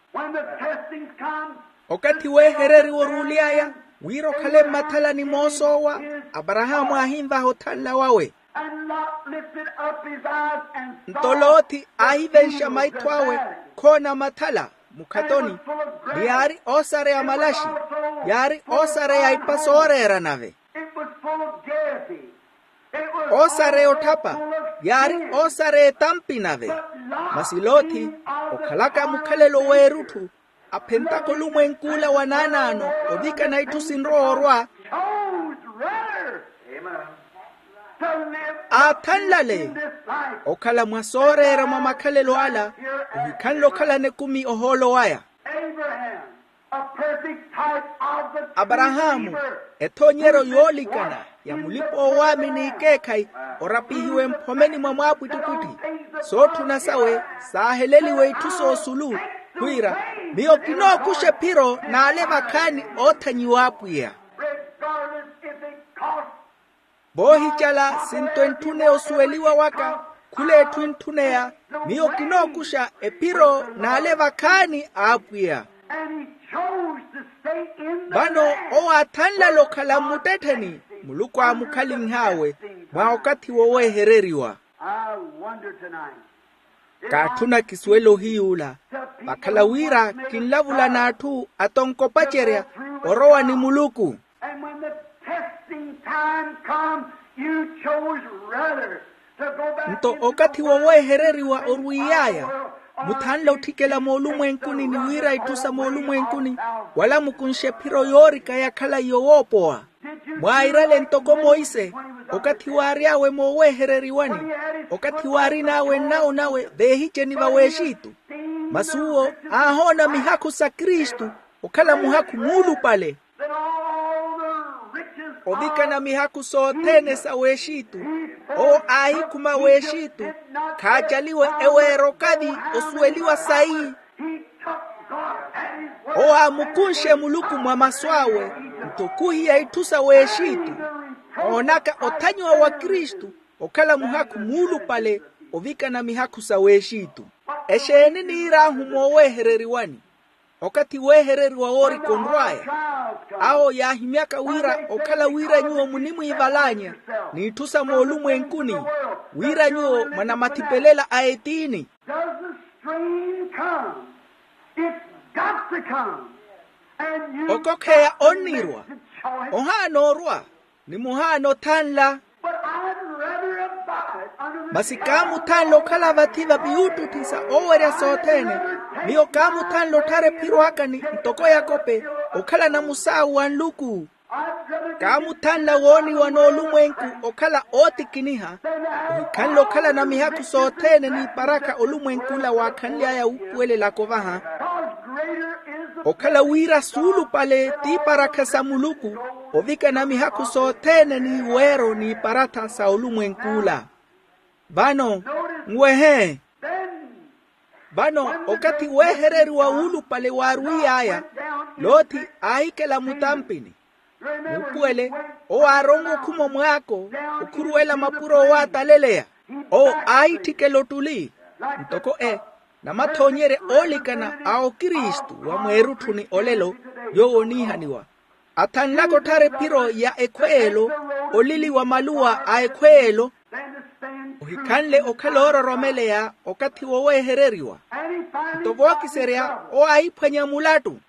Okathi weehereriwa oruuly'aya wira okhale mmathalani moosoowa, aparahaamu aahinvaha othanla wawe. Nto lothi aahivenxa maitho awe, khoona mathala mukhatoni, ni yaari oosareya malaxi, yaari oosareya ipa sooreera nave, oosareya otthapa, yaari oosareya etampi nave. Masi lothi, okhalaka mukhalelo w'erutthu, aphentaka olumwenk'ula wa naanaano ovikana itthu sinrowa orwa, aathanlale okhala mwa sooreera mwa makhalelo ala, ohikhanle okhalana ekumi ohoolo waya. Aparahaamu, ethoonyeryo yoolikana ya mulipa-oowaamini ikeekhayi, orapihiwe mphomeni mwa mwaapwittipwitthi. Sootthuna sawe saaheleliwe itthu soosulu, khwiira, miyo kinookuxa ephiro n'ale vakhaani oothanyiwa apwiya. Voohicala sinto entthuneya osuweliwa waka, khul'etthu entthuneya, miyo kinookuxa ephiro n'ale vakhaani a apwiya. Vano owo aathanlale okhala mmuttettheni, muluku aamukhalinh'awe mwa okathi woweehereriwa. Kaatthuna kisuwele ohiy'ula, vakhala wira kinlavula n'atthu atonkopacerya orowa ni muluku. Nto okathi woweehereriwa orwiiy'aya, muthanle otthikela moolumwenkuni ni wira itthu sa moolumwenkuni, wala mukunxe ephiro yoorika ya khalayi yowoopowa. Mwairale ntoko monse, okathi waary'awe mooweehereriwani, okathi waarin'awe nnawo nawe veehiceni va w'exitu, masi uwo aahoona mihakhu sa kristu okhala muhakhu muulupale, ovikana mihakhu sothene sa w'exitu. Owo aahikhuma w'exitu, khaacaliwe eweera okathi osuweliwa sayi. Owo aamukunxe muluku mwa masu awe, nto khuhiya itthu sa w'exitu, oonaka othanyiwa wa kristu okhala muhakhu muulupale ovikana mihakhu sa w'exitu. Exeeni niir'ahu mooweehereriwani? Okathi weehereriwa woorika onrw'aya. Awo yaahimyaka wira okhala wira nyuwo munimwiivalaanya n'itthu sa moolumwenkuni, wira nyuwo mwanamathipelelo a etiini. Okokheya onnirwa, ohaana orwa, ni muhaana othanla. Masi kaamuthanle okhala vathi va viyuuttutthi sa oowerya sothene. Miyo kaamuthanle otthara ephiro aka ni ntoko yakope, okhalana musaawu wa nluku. Kaamuthanla wooniwa n'olumwenku okhala ootikiniha, ohikhanle okhalana mihakhu sothene n'iparakha olumwenk'ula waakhanly'aya wuupuwelelaka ovaha. Okhala wira suulupale t'iparakha sa muluku ovikana mihakhu sothene n'iweero n'iparatha sa olumwenk'ula. Vano nwehe. Vano okathi weehereriwa wuulupale waarwiy'aya, loothi aahikela mutampini. Muupuwele, owo aaronwe okhuma omwaako okhuruwela mapuro owo aataleleya. Owo aahitthikela ottuli ntoko e namathoonyerya oolikana a okristu wa mweerutthuni olelo. Yoowo oniihaniwa athanlaka otthara ephiro ya ekhweelo, olili wa maluwa a ekhweelo. Ohikhanle okhala oororomeleya okathi woweehereriwa. Nto vookiserya owo aahiphwanya mulattu.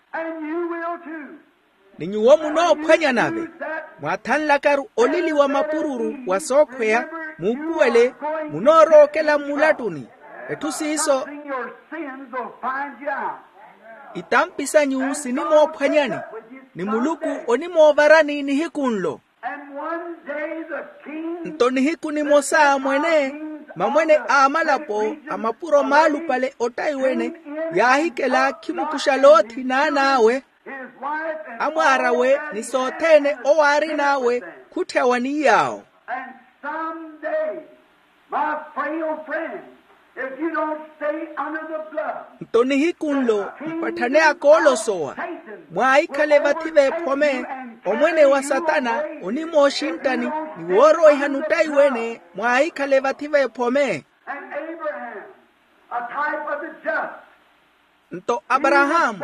Ni nyuwo munoophwanya nave, mwaathanlakaru olili wa mapururu wa sookhweya. Muupuwele, munoorowa okela mmulattuni. Etthu siiso itampi sanyu sinimoophwanyani, ni muluku onimoovarani nihiku nlo. Nto nihiku nimosa mwene, mamwene a amalapo a mapuro maalupale ottaiwene yaahikela khimukuxa loothi n'an'awe, amwaar'awe ni sothene owo aarin'awe. Khutthyawa ni yaawo. Nto nihiku nlo mpatthane akoolosowa, mwaahikhale vathi v'ephome. Omwene wa satana onimooxinttani ni wooroihani ottaiwene, mwaahikhale vathi v'ephome. Nto aparahaamu,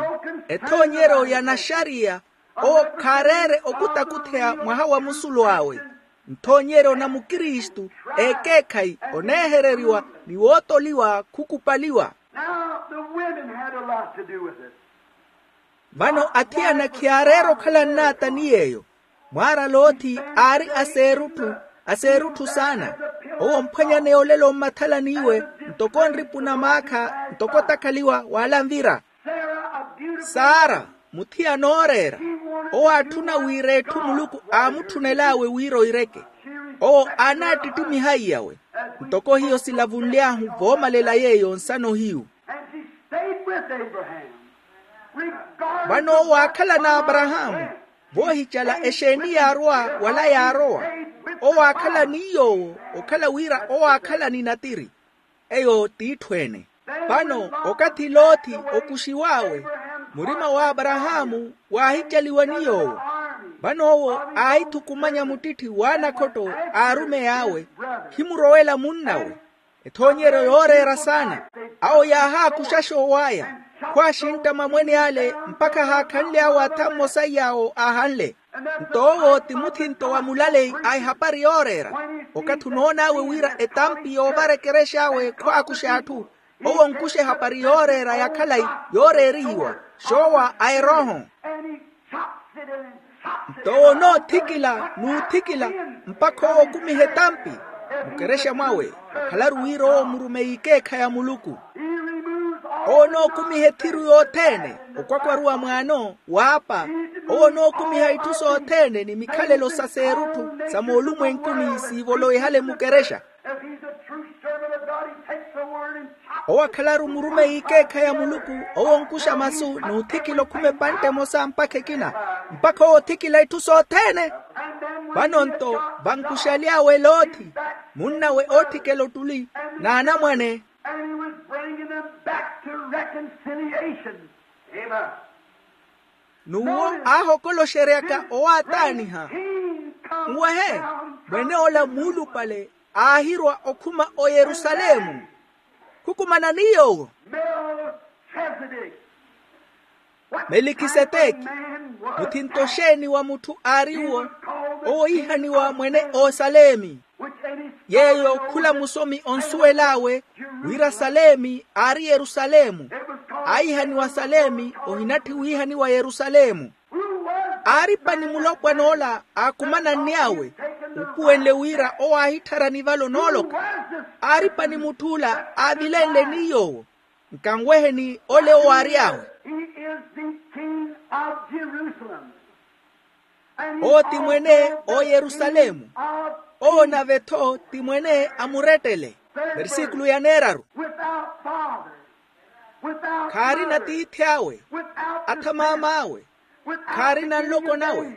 ethoonyeryo ya naxariya, owo khaareere okutakutheya mwaha wa musulu awe. Nthoonyeryo na mukristu, ekeekhayi, oneehereriwa ni wootoliwa khukupaliwa. Vano athiyana khiyaareera okhala nnaata ni yeeyo. Mwaara loothi aari aseerutthu, aseerutthu saana. Owo omphwanyaneya olelo mmathalaniwe, ntoko nripu na maakha ntoko otakhaliwa w'alanvira. Sara, muthiyana ooreera, owo aatthuna wira etthu muluku aamutthunel'awe wira oireke. Owo aanaattittimihaiyawe, ntoko hiyo silavunly'ahu voomalela yeeyo nsano hiyu. Vano owo aakhala n'aparahaamu, voohicala exeeni yaarwa wala yaarowa. Owo aakhala ni yoowo, okhala wira owo aakhala ni natiri. Eyo t'itthu ene. Vano okathi loothi okuxiw'awe, murima w'aparahaamu waahicaliwa ni yoowo. Vano owo aahithukumanya muttitthi w'anakhotto a arumey'awe, khimurowela munn'awe. Ethoonyeryo yooreera saana. Awo yaahaakuxa xoow'aya, khwaaxintta mamwene ale mpakha ahaakhanly'awe atha mmosa iy'awo aahanle. Nto owo ti muthinto wa mulaleyi a ehapari yooreera. Okathi onoon'awe wira etampi yoovara ekerex'awe khwaakuxa atthu, owo onkuxa ehapari yooreera ya khalayi yooreerihiwa, xoowa a erooho. Nto owo onoothikila n'uthikila mpakha owo okumiha etampi mukerexa mwawe. Okhalaru wira owo murumeyi ikeekha ya muluku. Owo onookumiha ethiru yothene, okwakwaruwa mwaano, waapa. Owo onookumiha itthu sothene ni mikhalelo sa seerutthu sa moolumwenkuni siivolowe ehale mukerexa. Owo akhalaru murumeyi ikeekha ya muluku, owo onkuxa masu n'uthikila okhuma epantte emosa mpakha ekina, mpakha owo othikila itthu sothene. Vano nto vankuxaly'awe loothi, munn'awe oothikela ottuli, n'anamwane. N'uwo aahokoloxeryaka owaataaniha. Nwehe, mwen'ola muulupale aahirwa okhuma oyerusalemu. Khukumana ni yoowo. Melikiseteki, muthinto xeeni wa mutthu aariwo? Owo iihaniwa mwene osalemi. Yeeyo khula musomi onsuwel'awe wira salemi aari yerusalemu. Aihaniwa salemi ohinatthi wiihaniwa yerusalemu. Aaripa ni mulopwan'ola aakumananny'awe, upuwenle wira owo aahitthara nivalo nooloka. Aaripa ni mutth'ula aavilenle ni yoowo. Nkanweheni ole owo aary'awe. He is the king of Jerusalem. Owo ti mwene, oyerusalemu. Owo nave-tho ti mwene a murettele. Versikulu ya neeraru. Khaarina tiithi awe, atha maam'awe, khaarina nloko nawe,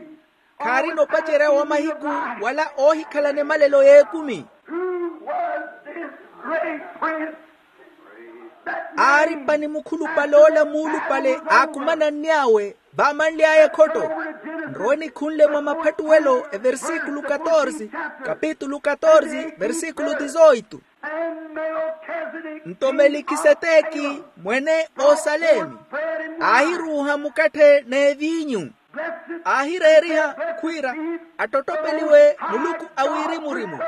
khaarina opacerya wa mahiku wala oohikhalana emalelo y'ekumi. Aari pani mukhulupale ola muulupale aakumananny'awe, vaamanly'aya ekhotto. Nrowe nikhunle mwa maphattuwelo eversikulu katorse, kapitulu katorse, versikulu dizoitu. Nto melikiseteki, mwene osalemi, aahiruuha mukatthe n'eviinyu, aahireeriha khwiira, attottopeliwe muluku a wirimu-rimu,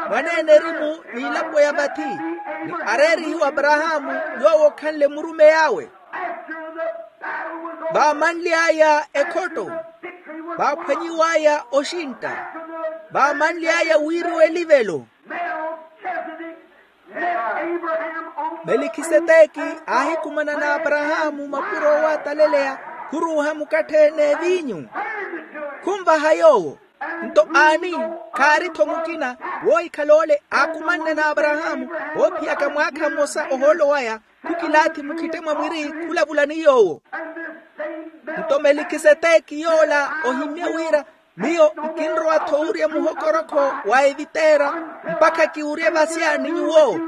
mwaneene erimu n'ilapo ya vathi, ni areerihiwe aparahaamu, yoowo okhanle murumeyi awe. Vaamanly'aya ekhotto, vaaphwanyiw'aya oxintta, vaamanly'aya wiiriwa elivelo. Melikiseteki aahikumana n'aparahaamu mapuro oowataleleya, khuruuha mukatthe n'eviinyu, khunvaha yoowo. Nto aani, khaari-tho mukina woohikhala ole aakumanne n'aparahaamu, oophiyaka mwaakha mmosa ohoolo waya, khukilaathi mukhitte mwa mwiri khulavula ni yoowo. Nto melikiseteki yoola ohimye wira, miyo nkinrowa-tho owurya muhokorokho wa eviteera, mpakha kiwurye vasya ni nyuwo.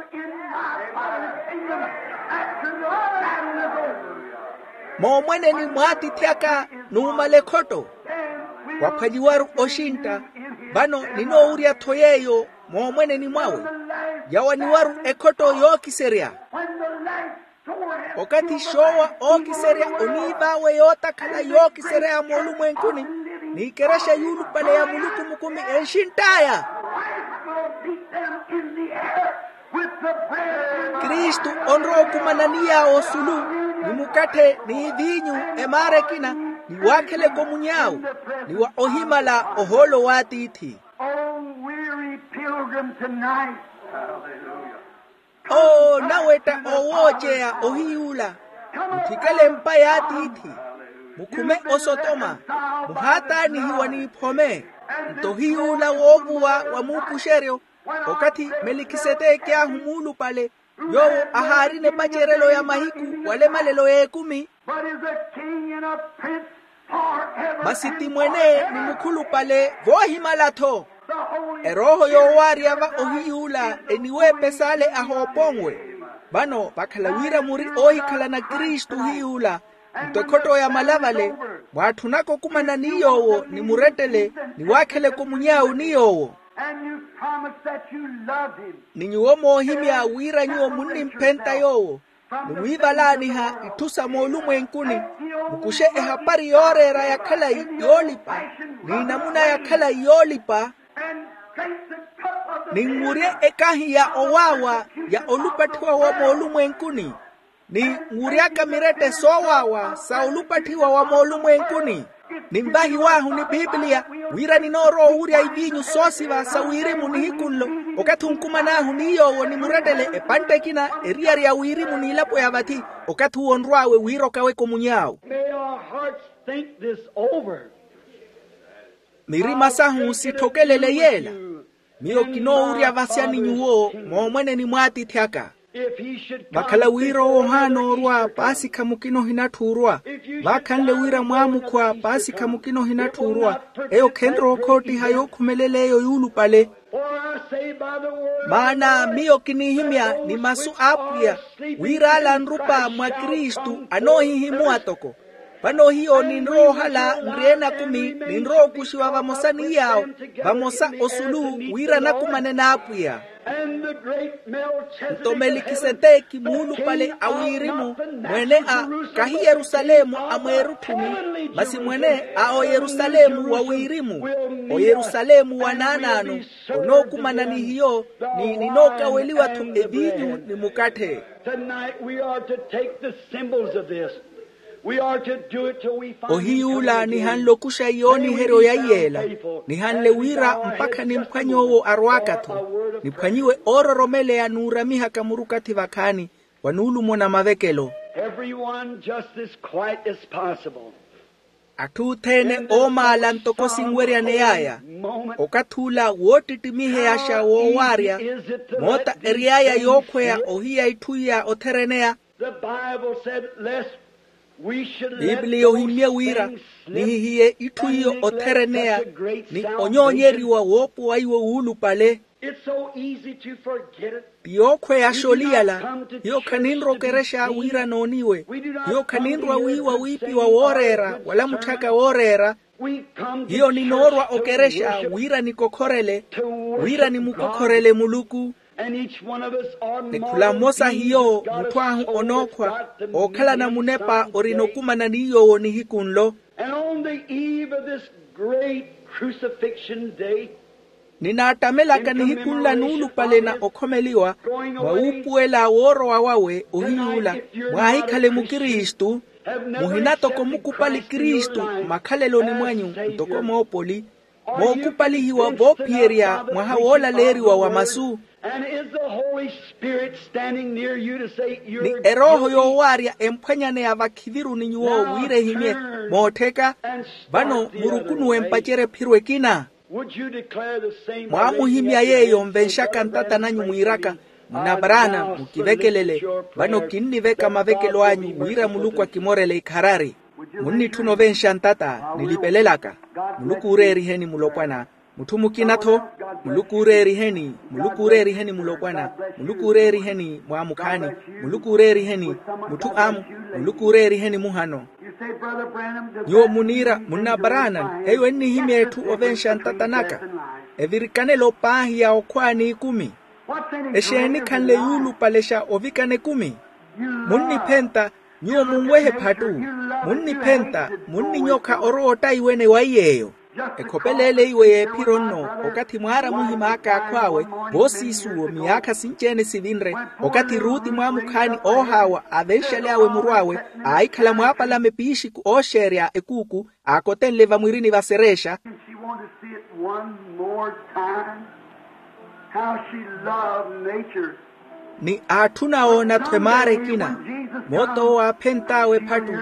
Moomweneni mw'atiithi aka, numala ekhotto, waphwanyiwaru oxintta. Vano ninoowurya-tho yeeyo moomweneni mwawe, yawaniwaru ekhotto yookiserya. Okathi xoowa ookiserya oniiv'awe yootakhala yookiserya ya moolumwenkuni, n'ikerexa yuulupale ya muluku mukumi enxintt'aya. Kristu onrowa okumanani yaawo osulu, ni mukatthe n'iviinyu, emaara ekina, ni waakheleke omuny'awe, ni wa ohimala ohoolo w'atiithi. Oh, weary pilgrim tonight. Oo nawetta owooceya ohiy'ula, muthikele empa y'atiithi, mukhume osotoma, muhaataanihiwa n'iphome. Nto ohiy'ula woovuwa wa muupuxeryo, okathi melikiseteki ahu muulupale, yoowo ahaarina epacerelo ya mahiku wala emalelo y'ekumi. But is a king and a prince forever. Masi ti mwene ni mukhulupale voohimala-tho. Erooho yoowaarya va ohiy'ula eniweepes'ale ahooponwe. Vano vakhala wira muri oohikhalana kristu ohiy'ula, nto ekhotto ya malavale, mwaatthunaka okumana ni yoowo ni murettele, ni waakheleke omuny'awe ni yoowo. And you promise that you love him. Ni nyuwo moohimya wira nyuwo munnimphenta yoowo, ni wiivalaaniha itthu sa moolumwenkuni, mukuxe ehapari yooreera ya khalayi yoolipa, n'inamuna ya khalayi yoolipa, ninwurye ekahi ya owaawa ya olupatthiwa wa moolumwenkuni, ni nwury'aka mirette soowaawa sa olupatthiwa wa moolumwenkuni. Ninvahiw'ahu ni pipiliya, wira ninoorowa owurya iviinyu soosiva sa wirimu nihiku nlo, okathi onkuman'ahu ni yoowo ni murettele epantte ekina eriyari ya wirimu n'ilapo ya vathi, okathi uwo onrw'awe wira okaweke omuny'awe. May our hearts think this over. Mirima sahu sitthokelele yeela. Miyo kinoowurya vasya ni nyuwo moomweneni mw'atiithi aka. Vakhala wira owo ohaana orwa paasikha mukina ohinatthu orwa, vaakhanle wira mwaamukhwa paasikha mukina ohinatthu orwa, eyo khenrowa okhoottiha yookhumelela eyo yuulupale. Maana miyo kiniihimya ni masu a apwiya, wira ale anrupa mwa kristu anoohihimuwa toko. Vano hiyo ninrowa ohala nri enakumi, ninrowa okuxiwa vamosa ni yaawo, vamosa osulu, wira nakumane n'apwiya. Nto melikiseteki muulupale a wirimu, mwene a, kahi yerusalemu a mweerutthuni, masi mwene a oyerusalemu wa wirimu, oyerusalemu wa naanaano, onookumana ni hiyo, ni ninookaweliwa-tho eviinyu ni mukatthe. Tonight we are to take the symbols of this. We are to do it till we find. Ohiy'ula nihanle okuxa yooniheryo ya iyeela, nihanle wira mpakha nimphwanye owo arwaaka-tho, niphwanyiwe oororomeleya n'uramihaka murukathi vakhaani, wa nuulumo na mavekelo. Everyone just as quiet as possible. Atthu othene oomaala ntoko sinweryaney'aya. Okathi ula woottittimiheyaxa woowaarya, moota ery'aya yookhweya ohiya itthu iya othereneya. Biipiliya ohimmye wira nihihiye itthu iyo othereneya ni onyoonyeriwa woopuwaiwe wuulupale. Ti yookhweyaxa oliyala. Hiyo khaninrwa okerexa wira nooniwe. Hiyo khaninrwa wiiwa wiipiwa wooreera wala mutthaka wooreera. Hiyo ninoorwa okerexa wira nikokhorele, wira nimukokhorele muluku. Ni khula mmosa hiyo mutthu ahu onookhwa ookhalana munepa orina okumana ni yoowo nihiku nlo. And on the eve of this great crucifixion day, ninaattamelaka nihiku nla nuulupale na okhomeliwa, mwa wuupuwela woorowa wawe ohiyuula, mwaahikhale mukristu, muhina toko mukupali kristu mmakhaleloni mwanyu, ntoko moopoli mookupalihiwa voophiyerya mwaha woolaleeriwa wa masu. And is the Holy Spirit standing near you to say you're ni erooho yoowaarya emphwanyaneya vakhiviru ni nyuwo wira ehimye moottheka? Vano murukunuwe mpacerya ephiro ekina. Would you declare the same? Mwaamuhimya yeeyo nvenxaka ntata nanyu mwiiraka, munna paraana mukivekelele. Vano kinniveka mavekelo anyu wira muluku akimorele ikharari. Munnitthuna ovenxa ntata nilipelelaka. Muluku ooreeriheni mulopwana. Mutthu mukina-tho. Muluku ooreeriheni, muluku ooreeriheni mulopwana. Muluku ooreeriheni mwaamukhaani. Muluku ooreeriheni mutthu amu. Muluku ooreeriheni muhano. Nyuwo muniira munna paraana eyo ennihimya etthu ovenxa ntata naka. Evirikanelo paahi ya okhwaani ekumi. Exeeni khanle yuulupalexa ovikana ekumi? Munniphenta, nyuwo munwehe phattu. Munniphenta, munninyokha orowa ottaiwene wa iy'eyo. Ekhopeleele iwe y'ephiro nno, okathi mwaara muhim'aka akhw'awe voosiisuwo miyaakha sinci-ene sivinre, okathi ruti mwaamukhaani oohaawa aavenxaly'awe muru awe, aahikhala mwaapalame piixiku ooxeerya ekuuku, aakotenle vamwirini vasereexa. She wanted to see it one more time, how she loved nature. Ni aatthuna oona-tho emaara ekina. Moot'owo aaphent'awe ephattu.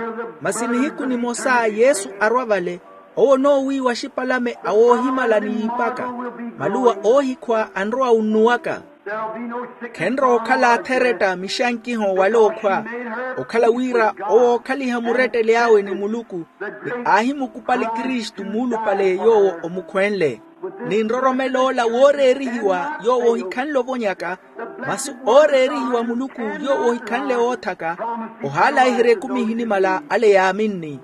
Masi nihiku nimosa yesu arwa vale, owo onoowiiwa axipalame awoohimala ni yiipaka. Maluwa oohikhwa anrowa unnuwaka. Khenrowa okhala atheretta mixankiho wala okhwa. Okhala wira owo ookhaliha muretteli awe ni muluku, ni aahimukupali kristu muulupale yoowo omukhwenle. Ni nroromelo ola wooreerihiwa yoowo ohikhanle ovonyaka, masi ooreerihiwa muluku yoowo ohikhanle woothaka. Ohaalayiherya ekumi ehinimala ale yaaminni.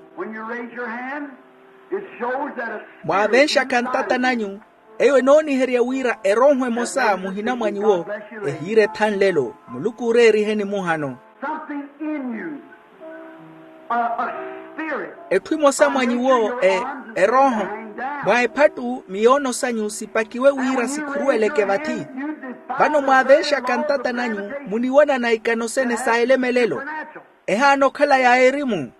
Mwaavenxaka ntata nanyu, eyo enooniherya wira erooho emosa muhina mwa nyuwo ehiira ethanlelo. Muluku ooreeriheni muhano. Etthu emosa mwa nyuwo erooho, mwa ephattu miyoono sanyu sipakiwe wira sikhuruweleke vathi. Vano mwaavenxaka ntata nanyu muniwanana ikano sene sa elemelelo. Ehaana okhala ya erimu.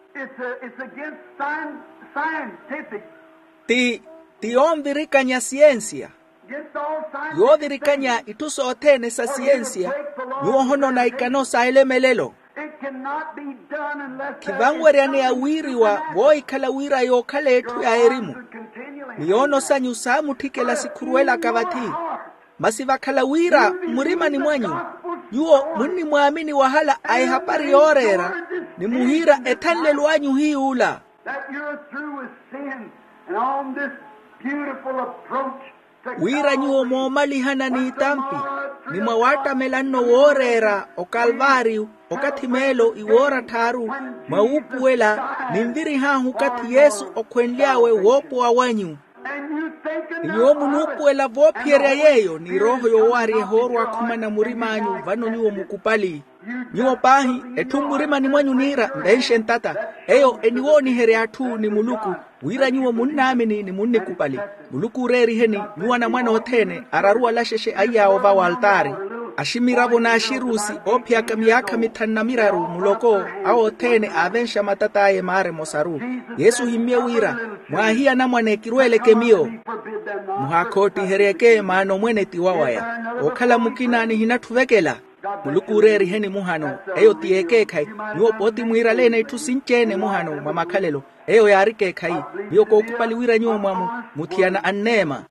Ti ti yonvirikanya siyensiya. Yoovirikanya itthu sothene sa siyensiya. Nyuwo ohonona ikano sa elemelelo. Khivanweryaneya wiiriwa voohikhala wira yookhala etthu ya erimu. Miyoono sanyu saamutthikela sikhuruwelaka vathi. Masi vakhala wira mmurimani mwanyu nyuwo munnimwaamini wahala a ehapari yooreera, ni muhiira ethanlelo anyu hiy'ula. Wira nyuwo moomalihana n'itampi, ni mwa waattamela nno wooreera okalvaariyu, okathi meelo iwoora tthaaru, mwa wuupuwela, ninvirih'ahu okathi yesu okhwenly'awe woopowa wanyu. Ni nyuwo munuupuwela voophiyerya yeeyo ni erooho yoowaarya ehoorwa akhumana murim'anyu vano nyuwo mukupali. Nyuwo paahi, etthu mmurimani mwanyu niira nvenxe ntata. Eyo eniwooniherya atthu ni muluku, wira nyuwo munnaamini ni munnikupali. Muluku ooreeriheni nyuwo anamwane othene araru alaxexe aiy'awe ovawa altaari, aximiravo n'axirusi oophiyaka miyaakha mithanu na miraru muloko. Awo othene aavenxa matat'aya emaara emosaru. Yesu ohimmye wira, mwaahiya anamwane kiruweleke miyo. Muhaakhootiheryeke maana omwene ti wawaya. Ookhala mukina nihinatthu ovekela. Muluku ooreeriheni muhano. Eyo ti yeekeekhayi. Nyuwo pooti mwiiraleene itthu sinci-ene muhano mwa makhalelo. Eyo yaari ekeekhayi. Miyo kookhupali wira nyuwo mwamu muthiyana anneema.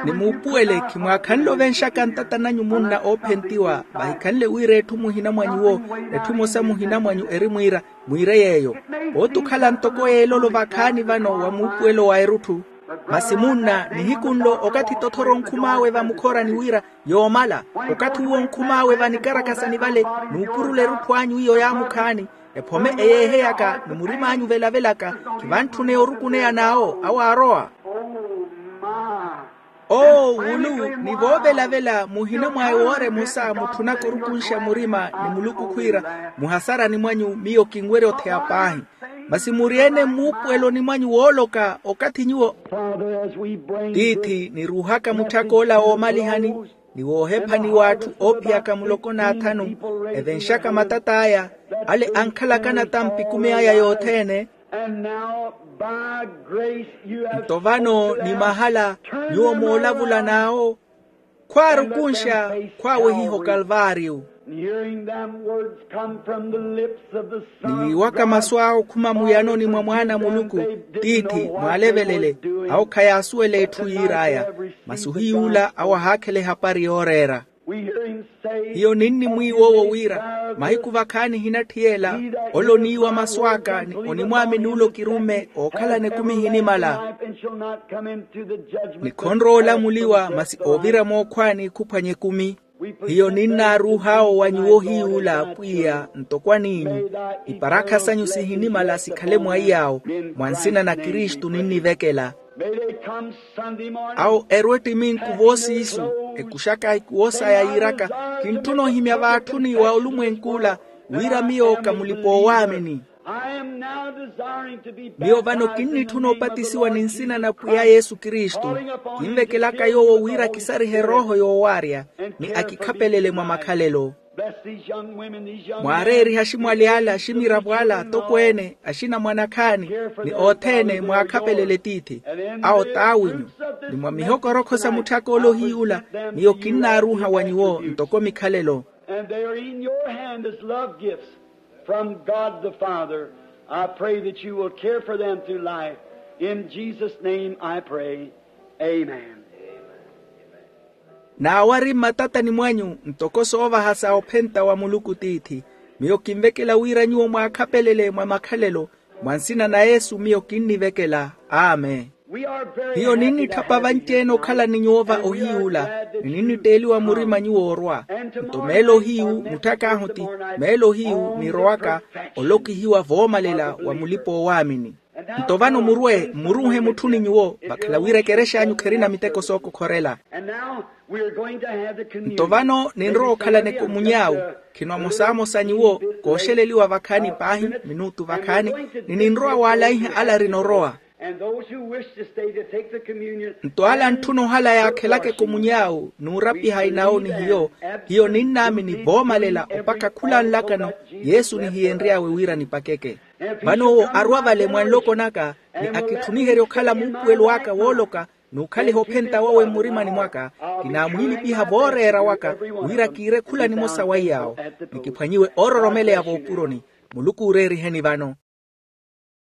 Ni muupuwele khimwaakhanle ovenxaka ntata nanyu munna oophentiwa vahikhanle wira etthu muhina mwa nyuwo etthu emosa muhina mwanyu eri mwiira mwiire yeeyo. Pooti okhala ntoko yeelolo vakhaani vano wa muupuwelo wa erutthu. Masi munna nihiku nlo okathi tothora onkhum'awe vamukhorani wira yoomala okathi uwo onkhum'awe vanikarakasani vale nuupurula erutthu anyu iyo yaamukhaani. Ephome eyeeheyaka ni murim'anyu velavelaka khivantthuneya orukuneya n'awo awo aarowa. Oo wulu ni voovelavela muhina mwa ewoora emosa mutthunaka orukunxa murima ni muluku khwiira muhasarani mwanyu miyo kinwerya otheya paahi. Masi muri-ene mmuupuweloni mwanyu wooloka okathi nyuwo tiithi niruuhaka mutthak'ola woomalihani ni woohephani w'atthu oophiyaka muloko n'athanu evenxaka matat'aya ale ankhalaka natampi ekumi aya yothene. Nto vano ni mahala nyuwo moolavula n'awo khwaarukunxa khwaawehiha okalvaariyo. Ni wiiwaka masu awo okhuma muyanoni mwa mwaana a muluku tiithi mwaalevelele awo khayaasuwela etthu yiir'aya. Masi ohiy'ula awo ahaakhela ehapari yooreera. Hiyo ninni mwiiw'owo wira mahiku vakhaani ehinatthiyela ole oniiwa masu aka ni onimwaamini ole okirumme ookhalana ekumi ehinimala. Ni khonrowa olamuliwa masi oovira mookhwaani khuphwanya ekumi. Hiyo ninnaaruuh'awo wa nyuwo ohiy'ula apwiya ntoko aniinyu. Iparakha sanyu sihinimala sikhale mwaiy'awo mwa nsina na kristu ninnivekela. Awo erwe ettiminku voosiisu ekuxaka ikuwo saya yiiraka kintthuna ohimya vaatthuni wa olumwenk'ula wira miyo ka mulipa-oowaamini. Miyo vano kinnitthuna opatisiwa ni nsina na pwiya yesu kristu. Kinvekelaka yoowo wira akisarihe erooho yoowaarya ni akikhapelele mwa makhalelo. Mwaareerihe aximwali ala aximiravo ala atokweene axinamwane akhaani ni othene mwaakhapelele tiithi. Awo t'awinyu ni mwa mihokorokho sa mutthak'ole ohiy'ula miyo kinnaaruuha wa nyuwo ntoko mikhalelo. And they are in your hand as love gifts from God the Father. I pray that you will care for them through life. In Jesus' name I pray. Amen. N'awo ari mmatatani mwanyu ntoko soovaha sa ophenta wa muluku tiithi. Miyo kinvekela wira nyuwo mwaakhapelele mwa makhalelo mwa nsina na yesu miyo kinnivekela. Amen. Hiyo ninnitthapa vanci-ene okhala ni nyuwo va ohiy'ula ni ninnitteeliwa murima nyuwo orwa. Nto meelo hiyu mutthak'ahu ti meelo hiyu nirowaka olokihiwa voomalela wa mulipa-oowaamini. Nto vano murwe mmuruuhe mutthuni nyuwo vakhala wira ekerex'anyu kherina miteko sookokhorela. Nto vano ninrowa okhalana ekomuny'awu khino amosamosa nyuwo kooxeleliwa vakhaani paahi minutu vakhaani ni ninrowa waalaiha ala arinorowa. Nto ala antthuna ohala yaakhelaka ekomuny'awu n'urapiha inawo ni hiyo hiyo ninnaamini voomalela opakha khula nlakano yesu nihiyenry'awe wira nipakeke. Vano owo arwa vale mwa nloko naka ni akitthuniherya okhala muupuwelo aka wooloka n'ukhaliha ophenta wawe mmurimani mwaka. Kinaamwiilipiha vooreera waka wira kiire khula nimosa wa iy'awo ni kiphwanyiwe oororomeleya voopuroni. Muluku ooreeriheni vano.